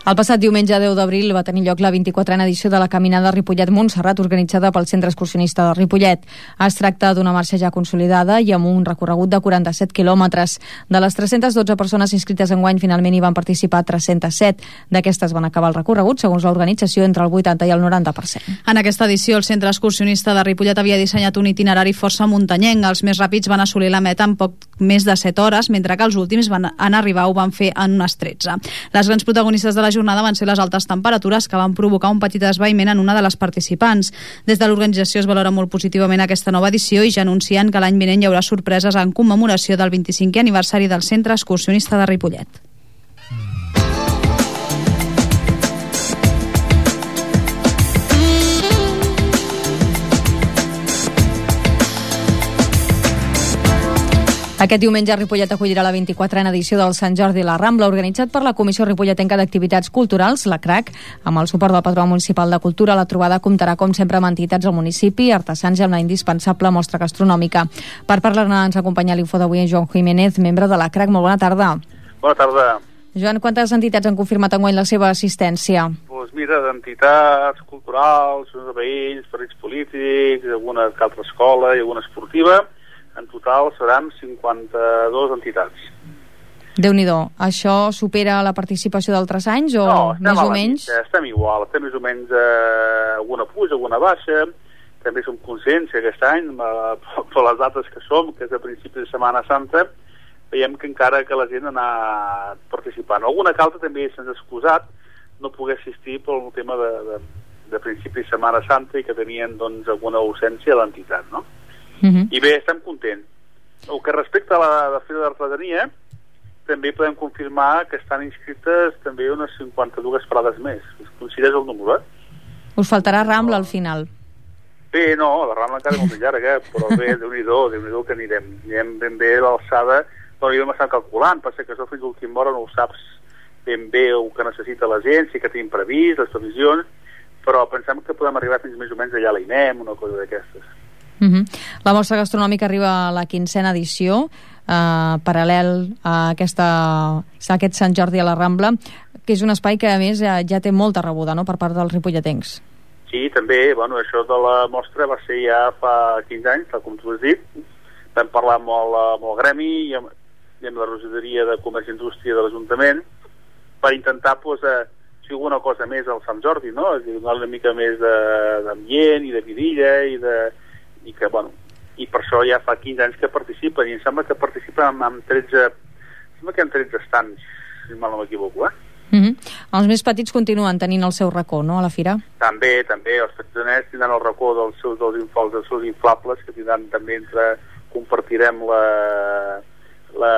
El passat diumenge deu d'abril va tenir lloc la vint-i-quatrena edició de la Caminada Ripollet-Montserrat, organitzada pel Centre Excursionista de Ripollet. Es tracta d'una marxa ja consolidada i amb un recorregut de quaranta-set quilòmetres. De les tres-centes dotze persones inscrites enguany, finalment hi van participar tres-centes set. D'aquestes van acabar el recorregut, segons l'organització, entre el vuitanta i el noranta per cent. En aquesta edició, el Centre Excursionista de Ripollet havia dissenyat un itinerari força muntanyenc. Els més ràpids van assolir la meta en poc més de set hores, mentre que els últims van, en arribar ho van fer en unes tretze. Les grans protagonistes de la jornada van ser les altes temperatures que van provocar un petit esvaïment en una de les participants. Des de l'organització es valora molt positivament aquesta nova edició i ja anuncien que l'any vinent hi haurà sorpreses en commemoració del vint-i-cinquè aniversari del Centre Excursionista de Ripollet. Aquest diumenge Ripollet acollirà la vint-i-quatrena edició del Sant Jordi a la Rambla, organitzat per la Comissió Ripolletenca d'Activitats Culturals, la C R A C, amb el suport del Patronat Municipal de Cultura. La trobada comptarà, com sempre, amb entitats del municipi, artesans i amb la indispensable mostra gastronòmica. Per parlar-ne ens acompanya a l'info d'avui en Joan Jiménez, membre de la C R A C. Molt bona tarda. Bona tarda. Joan, quantes entitats han confirmat enguany la seva assistència? Doncs mira, d'entitats culturals, veïns, partits polítics, alguna altra escola i alguna esportiva. En total seran cinquanta-dues entitats. Déu-n'hi-do. Això supera la participació d'altres anys o no, més o menys? No, estem igual. Estem més o menys eh, alguna puja, alguna baixa. També som conscients que aquest any, per les dates que som, que és a principis de Setmana Santa, veiem que encara que la gent ha anat participant. Alguna que altra també se'ns ha excusat no poder assistir pel tema de, de, de principis de Setmana Santa i que tenien doncs, alguna ausència a l'entitat, no? Uh-huh. I bé, estem contents. El que respecta a la, la Fira d'Artesania, també podem confirmar que estan inscrites també unes cinquanta-dues parades més. Coincideix el número, eh? Us faltarà Rambla al final. Bé, no, la Rambla encara és molt llarga, però bé, Déu-n'hi-do, Déu-n'hi-do que anirem. Anirem ben bé a l'alçada, però jo m'estan calculant, passa que això fins a l'última hora no ho saps ben bé el que necessita la gent, si que tenim previst, les previsions, però pensem que podem arribar fins més o menys allà a l'I N E M, una cosa d'aquestes. Uh-huh. La mostra gastronòmica arriba a la quinzena edició, eh, paral·lel a, aquesta, a aquest Sant Jordi a la Rambla, que és un espai que a més ja, ja té molta rebuda, no?, per part dels ripolletencs. Sí, també, bueno, això de la mostra va ser ja fa quinze anys, tal com tu has dit. Vam parlar amb el, amb el gremi i amb, i amb la regidoria de Comerç i Indústria de l'Ajuntament per intentar, pues, eh, si alguna cosa més al Sant Jordi, no?, donar una mica més d'ambient i de vidilla i de i que, bueno, i per això ja fa quinze anys que participen, i em sembla que participen amb, amb tretze, sembla que hi ha tretze estants, si mal no m'equivoco, eh? Uh-huh. Els més petits continuen tenint el seu racó, no?, a la fira? També, també, els petitons tindran el racó dels seus, dels inflables, dels seus inflables, que tindran també entre, compartirem la, la,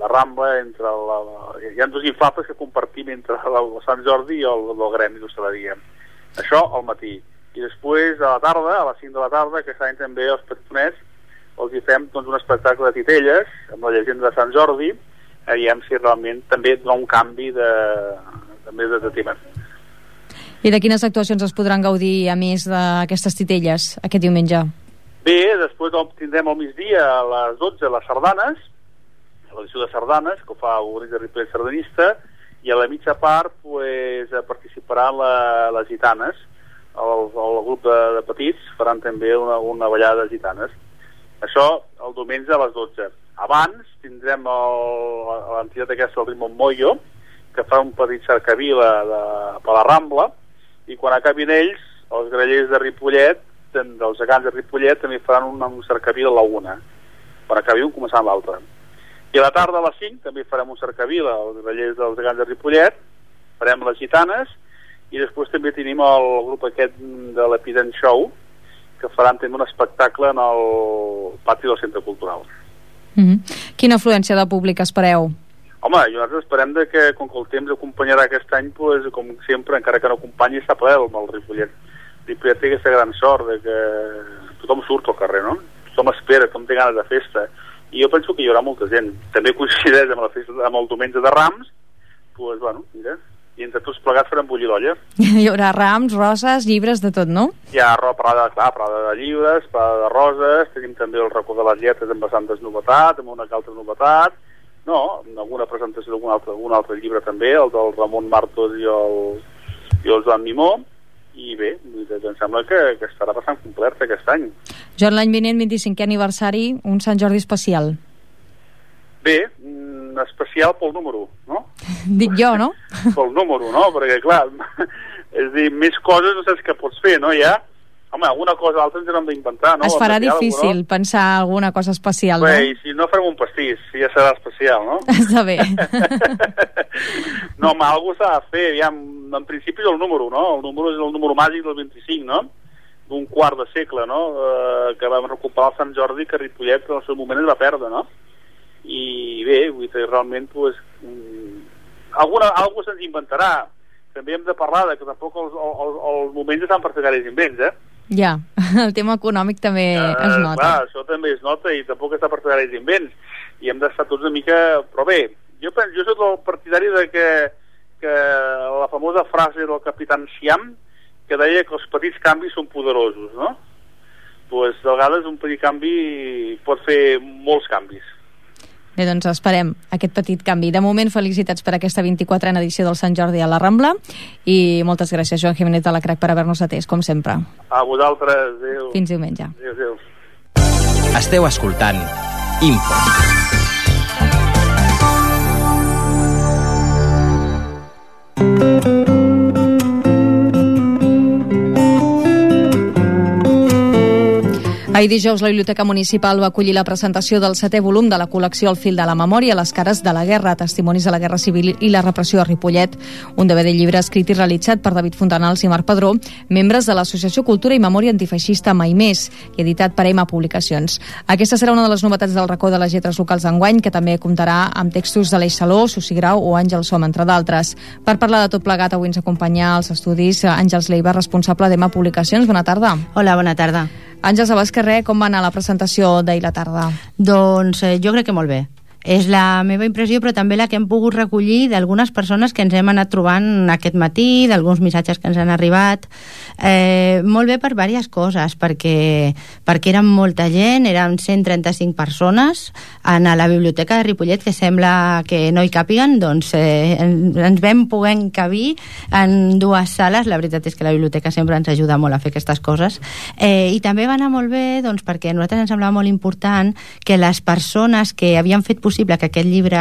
la Rambla, entre la, hi ha dos inflables que compartim entre el, el Sant Jordi i el, el Gremi d'Hostaleria. Això al matí. I després a la tarda, a les cinc de la tarda, que aquest any també els petoners els hi fem doncs, un espectacle de titelles amb la llegenda de Sant Jordi, veiem si realment també dona un canvi de, també de, de tema. I de quines actuacions es podran gaudir a més d'aquestes titelles aquest diumenge? Bé, després tindrem al migdia a les dotze les sardanes, l'edició de sardanes, que ho fa el grup de Ripollet sardanista, i a la mitja part pues, participaran la, les gitanes. El, el grup de, de petits faran també una, una ballada de gitanes. Això el diumenge a les dotze. Abans tindrem l'entitat aquesta, el Rimon Moyo, que fa un petit cercavila de, per la Rambla, i quan acabin ells, els grallers de Ripollet, dels gegants de Ripollet, també faran un, un cercavila a la una. Quan acabi un, començant l'altre. I a la tarda a les cinc també farem un cercavila, els grallers dels gegants de Ripollet, farem les gitanes, i després també tenim el grup aquest de l'Epident Show, que faran també un espectacle en el pati del Centre Cultural. Mm-hmm. Quina afluència de públic espereu? Home, nosaltres esperem de que, com que el temps acompanyarà aquest any, pues, com sempre, encara que no acompanyi, està ple amb el Ripollet. Ripollet té aquesta gran sort de que tothom surt al carrer, no? Tothom espera, tothom té ganes de festa. I jo penso que hi haurà molta gent. També coincideix amb, la festa, amb el diumenge de Rams, pues, bueno, mira, i entre tots plegats farem bullir l'olla. Hi haurà rams, roses, llibres, de tot, no? Hi ha parada, clar, parada de llibres, parada de roses, tenim també el racó de les lletres amb bastantes novetats, amb una altra novetat, no, alguna presentació d'algun altre, algun altre llibre també, el del Ramon Martos i el, i el Joan Mimó, i bé, em sembla que, que estarà bastant complet aquest any. Joan, l'any vinent, vint-i-cinquè aniversari, un Sant Jordi especial. Bé, especial pel número, no? Dic jo, no? Pel número, no? Perquè, clar, és dir, més coses no saps què pots fer, no? Ja, home, alguna cosa altra ens hem d'inventar, no? Es farà especial, difícil no? Pensar alguna cosa especial, bé, no? I si no farem un pastís, ja serà especial, no? Està bé. No, home, alguna s'ha de fer, ja, en principi és el número, no? El número és el número màgic del vint-i-cinc, no? D'un quart de segle, no? Eh, que vam recuperar el Sant Jordi, que Ripollet en el seu moment es va perdre, no? I bé, vull dir, realment pues, alguna, alguna se'ns inventarà. També hem de parlar de que tampoc els, els, els moments estan per fer gaires invents, eh? Ja, el tema econòmic també uh, es nota. Clar, això també es nota i tampoc està per fer gaires invents i hem d'estar tots una mica... Però bé, jo, penso, jo soc el partidari de que, que la famosa frase del Capitán Siam que deia que els petits canvis són poderosos, no? Pues, de vegades un petit canvi pot fer molts canvis. Bé, doncs esperem aquest petit canvi. De moment, felicitats per aquesta vint-i-quatrena edició del Sant Jordi a la Rambla i moltes gràcies, Joan Jiménez de la Crac, per haver-nos atès, com sempre. A vosaltres, adéu. Fins diumenge. Adéu, adéu. Esteu escoltant Info. Ahir dijous la Biblioteca Municipal va acollir la presentació del setè volum de la col·lecció El fil de la memòria, les cares de la guerra, testimonis de la guerra civil i la repressió a Ripollet, un D V D llibre escrit i realitzat per David Fontanals i Marc Padró, membres de l'Associació Cultura i Memòria Antifeixista Mai Més, i editat per Ema Publicacions. Aquesta serà una de les novetats del racó de les lletres locals d'enguany, que també comptarà amb textos de l'Eix Saló, Susi Grau o Àngel Som, entre d'altres. Per parlar de tot plegat, avui ens acompanya als estudis Àngels Leiva, responsable d'Ema Publicacions. Bona tarda. Hola, bona tarda. Àngels, abans que res, com va anar la presentació d'ahir la tarda? Doncs eh, jo crec que molt bé. És la meva impressió, però també la que hem pogut recollir d'algunes persones que ens hem anat trobant aquest matí, d'alguns missatges que ens han arribat. Eh, molt bé per diverses coses, perquè, perquè érem molta gent, eren cent trenta-cinc persones en la biblioteca de Ripollet, que sembla que no hi càpiguen, doncs eh, ens vam poder encabir en dues sales. La veritat és que la biblioteca sempre ens ajuda molt a fer aquestes coses. Eh, I també va anar molt bé, doncs, perquè a nosaltres ens semblava molt important que les persones que havien fet possible que aquest llibre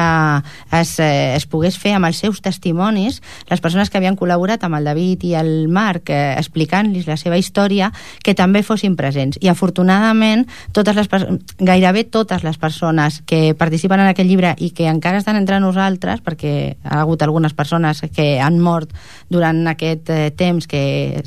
es, eh, es pogués fer amb els seus testimonis, les persones que havien col·laborat amb el David i el Marc eh, explicant-los la seva història, que també fossin presents. I afortunadament totes les, gairebé totes les persones que participen en aquest llibre i que encara estan entre nosaltres, perquè ha hagut algunes persones que han mort durant aquest eh, temps que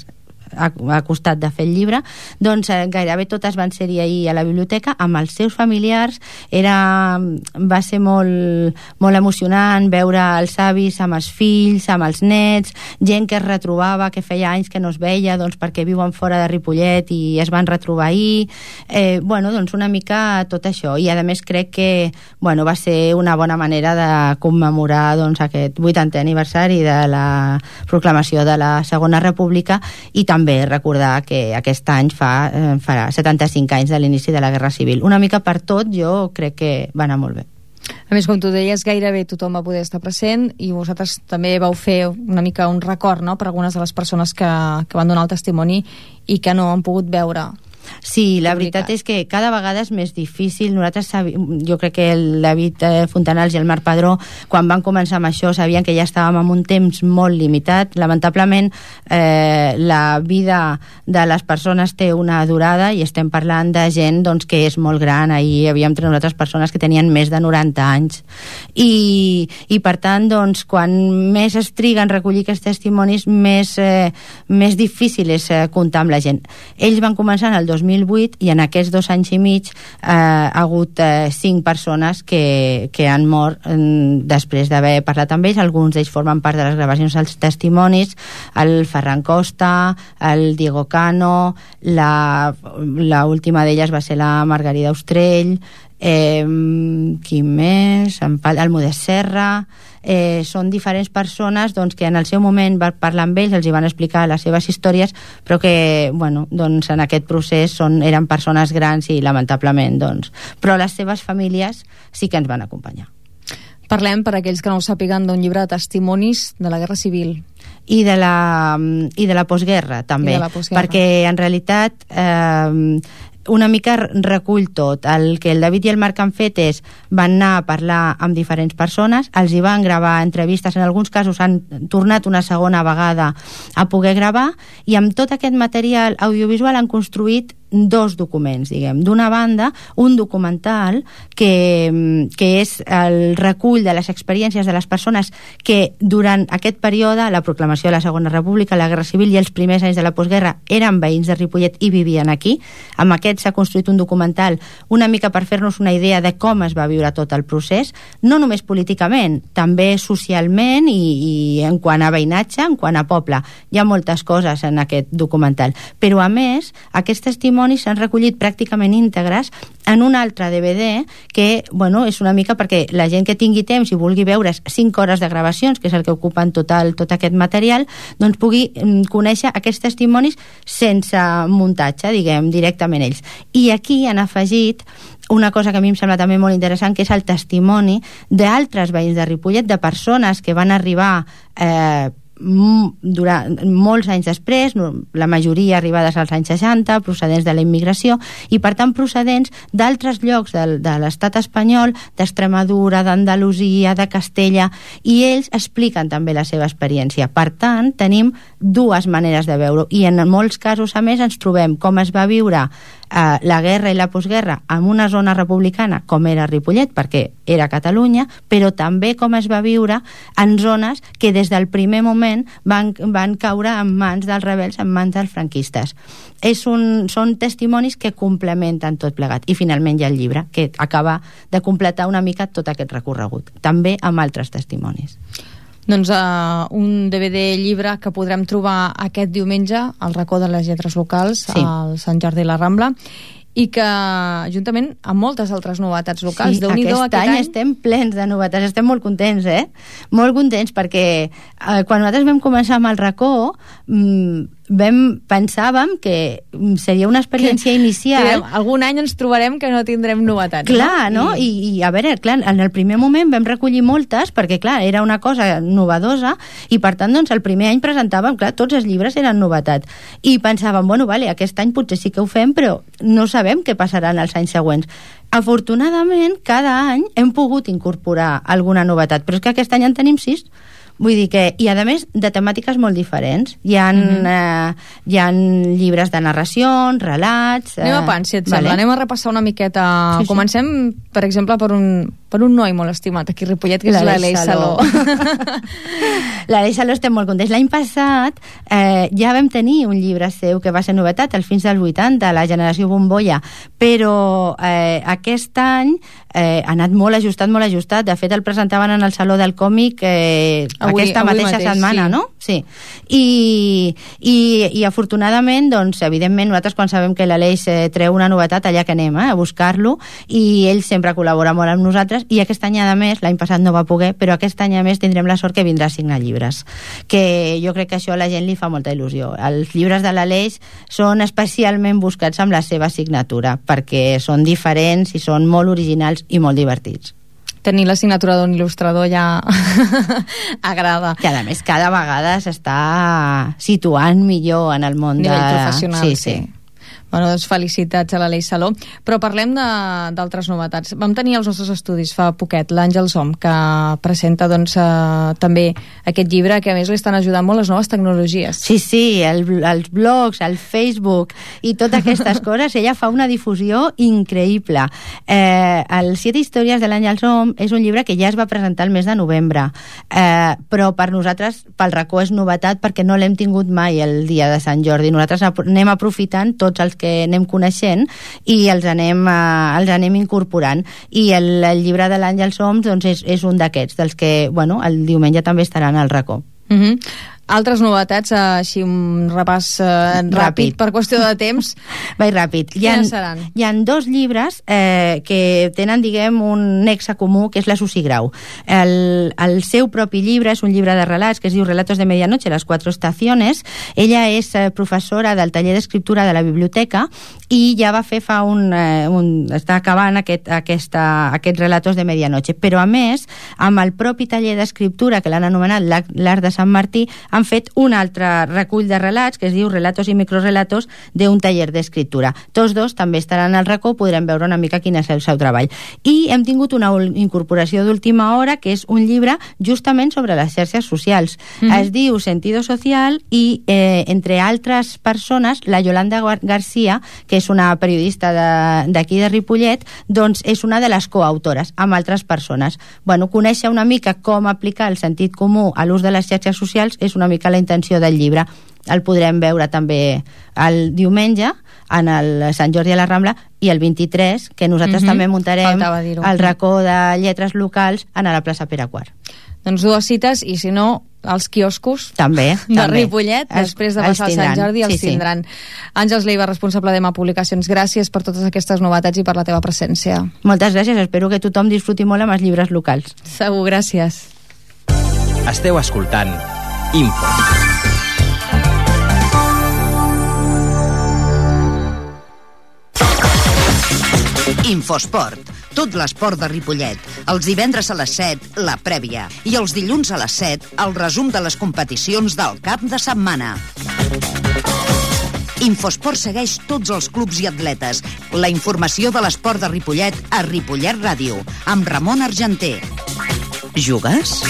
ha, ha costat de fer el llibre, doncs eh, gairebé totes van ser-hi ahir a la biblioteca amb els seus familiars. Era, va ser molt, molt emocionant veure els avis amb els fills, amb els nets, gent que es retrobava, que feia anys que no es veia, doncs perquè viuen fora de Ripollet i es van retrobar ahir. Eh, bueno, doncs una mica tot això. I a més crec que bueno, va ser una bona manera de commemorar doncs, aquest vuitantè aniversari de la proclamació de la Segona República i també també recordar que aquest any fa, eh, farà setanta-cinc anys de l'inici de la Guerra Civil. Una mica per tot, jo crec que va anar molt bé. A més, com tu deies, gairebé tothom va poder estar present i vosaltres també vau fer una mica un record, no?, per algunes de les persones que, que van donar el testimoni i que no han pogut veure. Sí, la veritat és que cada vegada és més difícil. Nosaltres, jo crec que el David Fontanals i el Marc Padró, quan van començar amb això, sabien que ja estàvem en un temps molt limitat. Lamentablement, eh, la vida de les persones té una durada i estem parlant de gent doncs, que és molt gran. Ahir hi havia entre nosaltres persones que tenien més de noranta anys. I, i per tant, doncs, quan més es triga en recollir aquests testimonis, més, eh, més difícil és eh, comptar amb la gent. Ells van començar en el dos mil vuit i en aquests dos anys i mig eh, ha hagut eh, cinc persones que, que han mort eh, després d'haver parlat amb ells. Alguns d'ells formen part de les gravacions dels testimonis, el Ferran Costa, el Diego Cano, la, la última d'elles va ser la Margarida Ostrell, eh, qui més? El Modest Serra. Eh, són diferents persones doncs, que en el seu moment van parlar amb ells, els hi van explicar les seves històries, però que bueno, doncs, en aquest procés són, eren persones grans i lamentablement doncs, però les seves famílies sí que ens van acompanyar. Parlem, per aquells que no ho sàpiguen, d'un llibre de testimonis de la Guerra Civil i de la, i de la postguerra també, la postguerra. Perquè en realitat eh, una mica recull tot. El que el David i el Marc han fet és van anar a parlar amb diferents persones, els hi van gravar entrevistes, en alguns casos han tornat una segona vegada a poder gravar, i amb tot aquest material audiovisual han construït dos documents, diguem. D'una banda, un documental que, que és el recull de les experiències de les persones que durant aquest període, la proclamació de la Segona República, la Guerra Civil i els primers anys de la postguerra, eren veïns de Ripollet i vivien aquí. Amb aquest s'ha construït un documental una mica per fer-nos una idea de com es va viure tot el procés, no només políticament, també socialment i, i en quant a veïnatge, en quant a poble. Hi ha moltes coses en aquest documental. Però, a més, aquests testimonis s'han recollit pràcticament íntegres en un altre D V D que, bueno, és una mica perquè la gent que tingui temps i vulgui veure cinc hores de gravacions, que és el que ocupen total, tot aquest material, doncs pugui conèixer aquests testimonis sense muntatge, diguem, directament ells. I aquí han afegit una cosa que a mi em sembla també molt interessant, que és el testimoni d'altres veïns de Ripollet, de persones que van arribar eh, durant molts anys després, la majoria arribades als anys seixanta, procedents de la immigració i per tant procedents d'altres llocs de, de l'estat espanyol, d'Extremadura, d'Andalusia, de Castella, i ells expliquen també la seva experiència. Per tant, tenim dues maneres de veure-ho i en molts casos a més ens trobem com es va viure eh, la guerra i la postguerra en una zona republicana com era Ripollet, perquè era Catalunya, però també com es va viure en zones que des del primer moment van, van caure en mans dels rebels, en mans dels franquistes. És un, són testimonis que complementen tot plegat. I finalment hi ha el llibre, que acaba de completar una mica tot aquest recorregut, també amb altres testimonis. Doncs uh, un D V D llibre que podrem trobar aquest diumenge al racó de les lletres locals, sí, al Sant Jordi i la Rambla, i que juntament amb moltes altres novetats locals. Sí, aquest, aquest any, any estem plens de novetats, estem molt contents, eh? Molt contents perquè eh, quan nosaltres vam començar amb el racó mmm, vam, pensàvem que seria una experiència que, inicial. Direm, algun any ens trobarem que no tindrem novetats. Clar, no? no? I, I a veure, clar, en el primer moment vam recollir moltes perquè, clar, era una cosa novedosa i per tant, doncs, el primer any presentàvem, clar, tots els llibres eren novetats. I pensàvem, bueno, vale, aquest any potser sí que ho fem, però no sabem què passarà en els anys següents. Afortunadament, cada any hem pogut incorporar alguna novetat, però és que aquest any en tenim sis. Vull dir que, i a més de temàtiques molt diferents. Hi ha, mm-hmm. eh, hi ha llibres de narracions, relats... Eh, anem a pans, si et vale. sembla. Anem a repassar una miqueta. Sí, Comencem, sí. per exemple, per un, per un noi molt estimat aquí a Ripollet, que és l'Aleix Saló. L'Aleix Saló estem molt contents. L'any passat eh, ja vam tenir un llibre seu que va ser novetat, Els fins dels vuitanta, la generació bombolla, però eh, aquest any eh, ha anat molt ajustat, molt ajustat. De fet, el presentaven en el Saló del Còmic eh, avui, aquesta avui mateixa mateix, setmana, sí. No? Sí. I, i, i afortunadament, doncs, evidentment, nosaltres quan sabem que l'Aleix eh, treu una novetat, allà que anem eh, a buscar-lo, i ell sempre col·labora molt amb nosaltres, i aquest any a més, l'any passat no va poder, però aquest any a més tindrem la sort que vindrà a signar llibres, que jo crec que això a la gent li fa molta il·lusió. Els llibres de l'Aleix són especialment buscats amb la seva signatura, perquè són diferents i són molt originals i molt divertits. Tenir la signatura d'un il·lustrador ja agrada. Que a més cada vegada s'està situant millor en el món nivell de... professional, sí. sí. sí. Bueno, doncs felicitats a l'Aleix Saló. Però parlem d'altres novetats. Vam tenir els nostres estudis fa poquet l'Àngel Som, que presenta doncs, eh, també aquest llibre, que a més li estan ajudant molt les noves tecnologies. Sí, sí, el, els blogs, el Facebook i totes aquestes coses, ella fa una difusió increïble. Eh, el Siete històries de l'Àngel Som és un llibre que ja es va presentar el mes de novembre, eh, però per nosaltres, pel racó, és novetat perquè no l'hem tingut mai el dia de Sant Jordi. Nosaltres anem aprofitant tots els que anem coneixent i els anem, uh, els anem incorporant, i el, el llibre de l'Àngel Soms doncs és, és un d'aquests, dels que bueno, el diumenge també estaran al racó. Mhm. Altres novetats, així un repàs eh, ràpid, ràpid per qüestió de temps. Vaig ràpid. Quines hi ha, seran? Hi ha dos llibres eh, que tenen, diguem, un nexe comú, que és la Susi Grau. El, el seu propi llibre és un llibre de relats que es diu Relatos de Medianoche, las cuatro estaciones. Ella és eh, professora del taller d'escriptura de la biblioteca i ja va fer fa un... Eh, un està acabant aquest, aquesta, aquests Relatos de Medianoche. Però, a més, amb el propi taller d'escriptura, que l'han anomenat l'Art de Sant Martí, han fet un altre recull de relats que es diu Relatos i microrelatos d'un taller d'escriptura. Tots dos també estaran al racó, podrem veure una mica quin és el seu treball. I hem tingut una incorporació d'última hora, que és un llibre justament sobre les xarxes socials. Mm-hmm. Es diu Sentido Social i, eh, entre altres persones, la Yolanda García, que és una periodista d'aquí de, de Ripollet, doncs és una de les coautores, amb altres persones. Bueno, conèixer una mica com aplicar el sentit comú a l'ús de les xarxes socials és una mica la intenció del llibre. El podrem veure també el diumenge en el Sant Jordi a la Rambla, i el vint-i-tres, que nosaltres mm-hmm. també muntarem el racó de lletres locals en la plaça Pere Quart. Doncs dues cites, i si no, els quioscos també, de també. Ripollet, després de passar el Sant Jordi, els sí, tindran. Sí. Àngels Leiva, responsable d'Ema Publicacions, gràcies per totes aquestes novetats i per la teva presència. Moltes gràcies, espero que tothom disfruti molt amb els llibres locals. Segur, gràcies. Esteu escoltant Info. Infosport, tot l'esport de Ripollet. Els divendres a les set, la prèvia. I els dilluns a les set, el resum de les competicions del cap de setmana. Infosport segueix tots els clubs i atletes. La informació de l'esport de Ripollet a Ripollet Ràdio, amb Ramon Argenter. Jugues?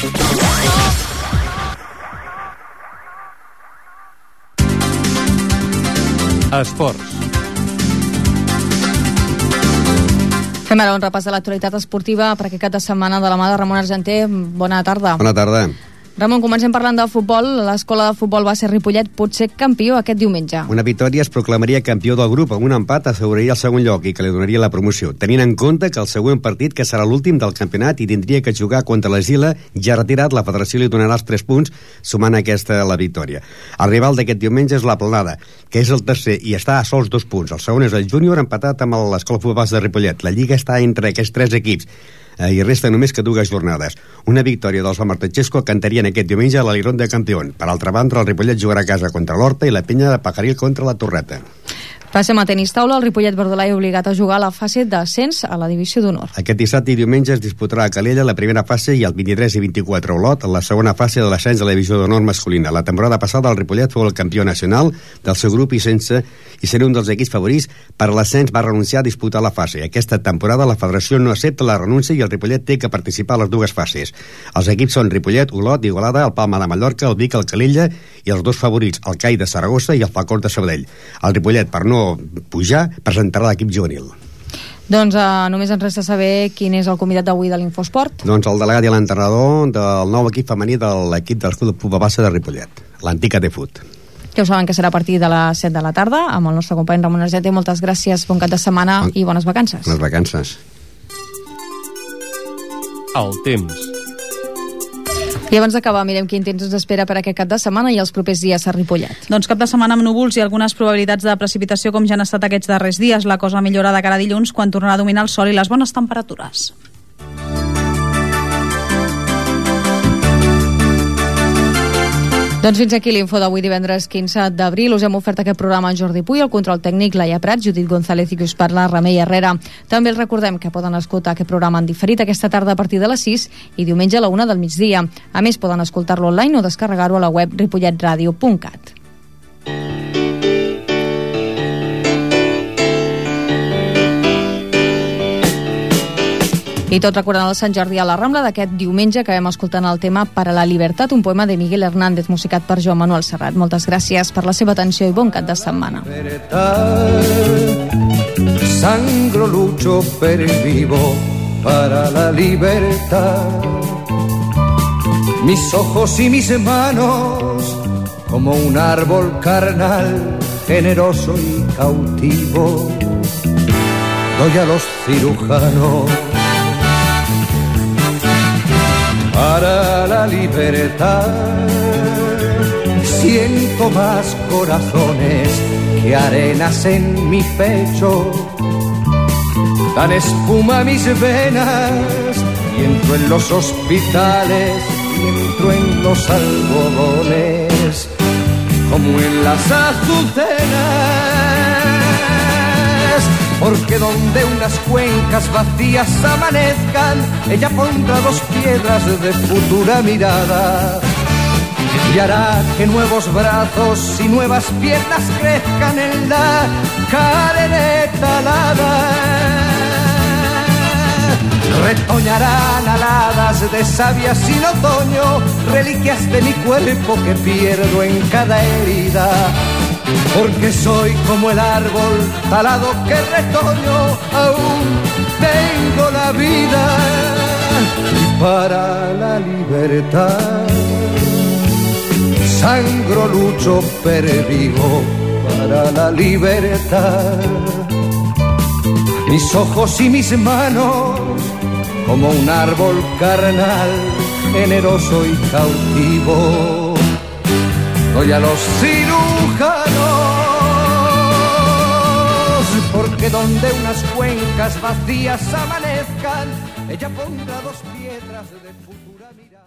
Esports. Fem ara un repàs de l'actualitat esportiva per aquest cap de setmana de la mà de Ramon Argenter. Bona tarda. Bona tarda. Ramon, comencem parlant de futbol. L'escola de futbol base Ripollet pot ser campió aquest diumenge. Una victòria es proclamaria campió del grup, amb un empat asseguraria el segon lloc i que li donaria la promoció, tenint en compte que el següent partit, que serà l'últim del campionat i tindria que jugar contra l'Esila, ja retirat, la federació li donarà els tres punts, sumant aquesta la victòria. El rival d'aquest diumenge és la Planada, que és el tercer i està a sols dos punts. El segon és el júnior, empatat amb l'escola futbol base de Ripollet. La lliga està entre aquests tres equips i resta només que dues jornades. Una victòria dels Martechesco cantarien aquest diumenge a l'Alirón de Campión. Per altra banda, el Ripollet jugarà a casa contra l'Horta i la Penya de Pajaril contra la Torreta. Passem a tenis taula. El Ripollet Verdolai obligat a jugar a la fase d'ascens a la divisió d'honor. Aquest dissabte i diumenge es disputarà a Calella la primera fase i el vint-i-tres i vint-i-quatre a Olot la segona fase de l'ascens a la divisió d'honor masculina. La temporada passada el Ripollet fou el campió nacional del seu grup i sense i ser un dels equips favorits per l'ascens va renunciar a disputar la fase. Aquesta temporada la federació no accepta la renúncia i el Ripollet té que participar a les dues fases. Els equips són Ripollet, Olot, Igualada, el Palma de Mallorca, el Vic, el Calella i els dos favorits, el C A I de Saragossa i el Falcó de Sabadell. El Ripollet, per no pujar, presentarà l'equip juvenil. Doncs uh, només ens resta saber quin és el convidat d'avui de l'Infosport. Doncs el delegat i l'entrenador del nou equip femení de l'equip del Club Pupa Bassa de Ripollet, l'antic A T Fut. Ja ho saben que serà a partir de les set de la tarda amb el nostre company Ramon Argenter. Moltes gràcies, bon cap de setmana bon... i bones vacances. Bones vacances. El temps. I abans d'acabar, mirem quin temps ens espera per aquest cap de setmana i els propers dies a Ripollet. Doncs cap de setmana amb núvols i algunes probabilitats de precipitació com ja han estat aquests darrers dies. La cosa millora de cara a dilluns quan tornarà a dominar el sol i les bones temperatures. Doncs fins aquí l'info d'avui divendres quinze d'abril. Us hem ofert aquest programa en Jordi Puy, el control tècnic Laia Prat, Judit González i que us parla Remei Herrera. També els recordem que poden escoltar aquest programa en diferit aquesta tarda a partir de les sis i diumenge a la una del migdia. A més, poden escoltar-lo online o descarregar-ho a la web ripollet radio punt cat. I tot recordant el Sant Jordi a la Rambla d'aquest diumenge que vam escoltant el tema Para la Libertad, un poema de Miguel Hernández musicat per Joan Manuel Serrat. Moltes gràcies per la seva atenció i bon cap de setmana. Sangro, lucho, pervivo para la libertad. Mis ojos y mis manos como un árbol carnal, generoso y cautivo, doy a los cirujanos. Para la libertad siento más corazones que arenas en mi pecho. Dan espuma a mis venas y entro en los hospitales y entro en los algodones como en las azucenas. Porque donde unas cuencas vacías amanezcan, ella pondrá dos piedras de futura mirada y hará que nuevos brazos y nuevas piernas crezcan en la cadeneta alada. Retoñarán aladas de savia sin otoño, reliquias de mi cuerpo que pierdo en cada herida. Porque soy como el árbol talado que retoño, aún tengo la vida. Y para la libertad sangro, lucho, pervivo para la libertad. Mis ojos y mis manos como un árbol carnal, generoso y cautivo, doy a los cirujanos. Porque donde unas cuencas vacías amanezcan, ella pondrá dos piedras de futura mirada.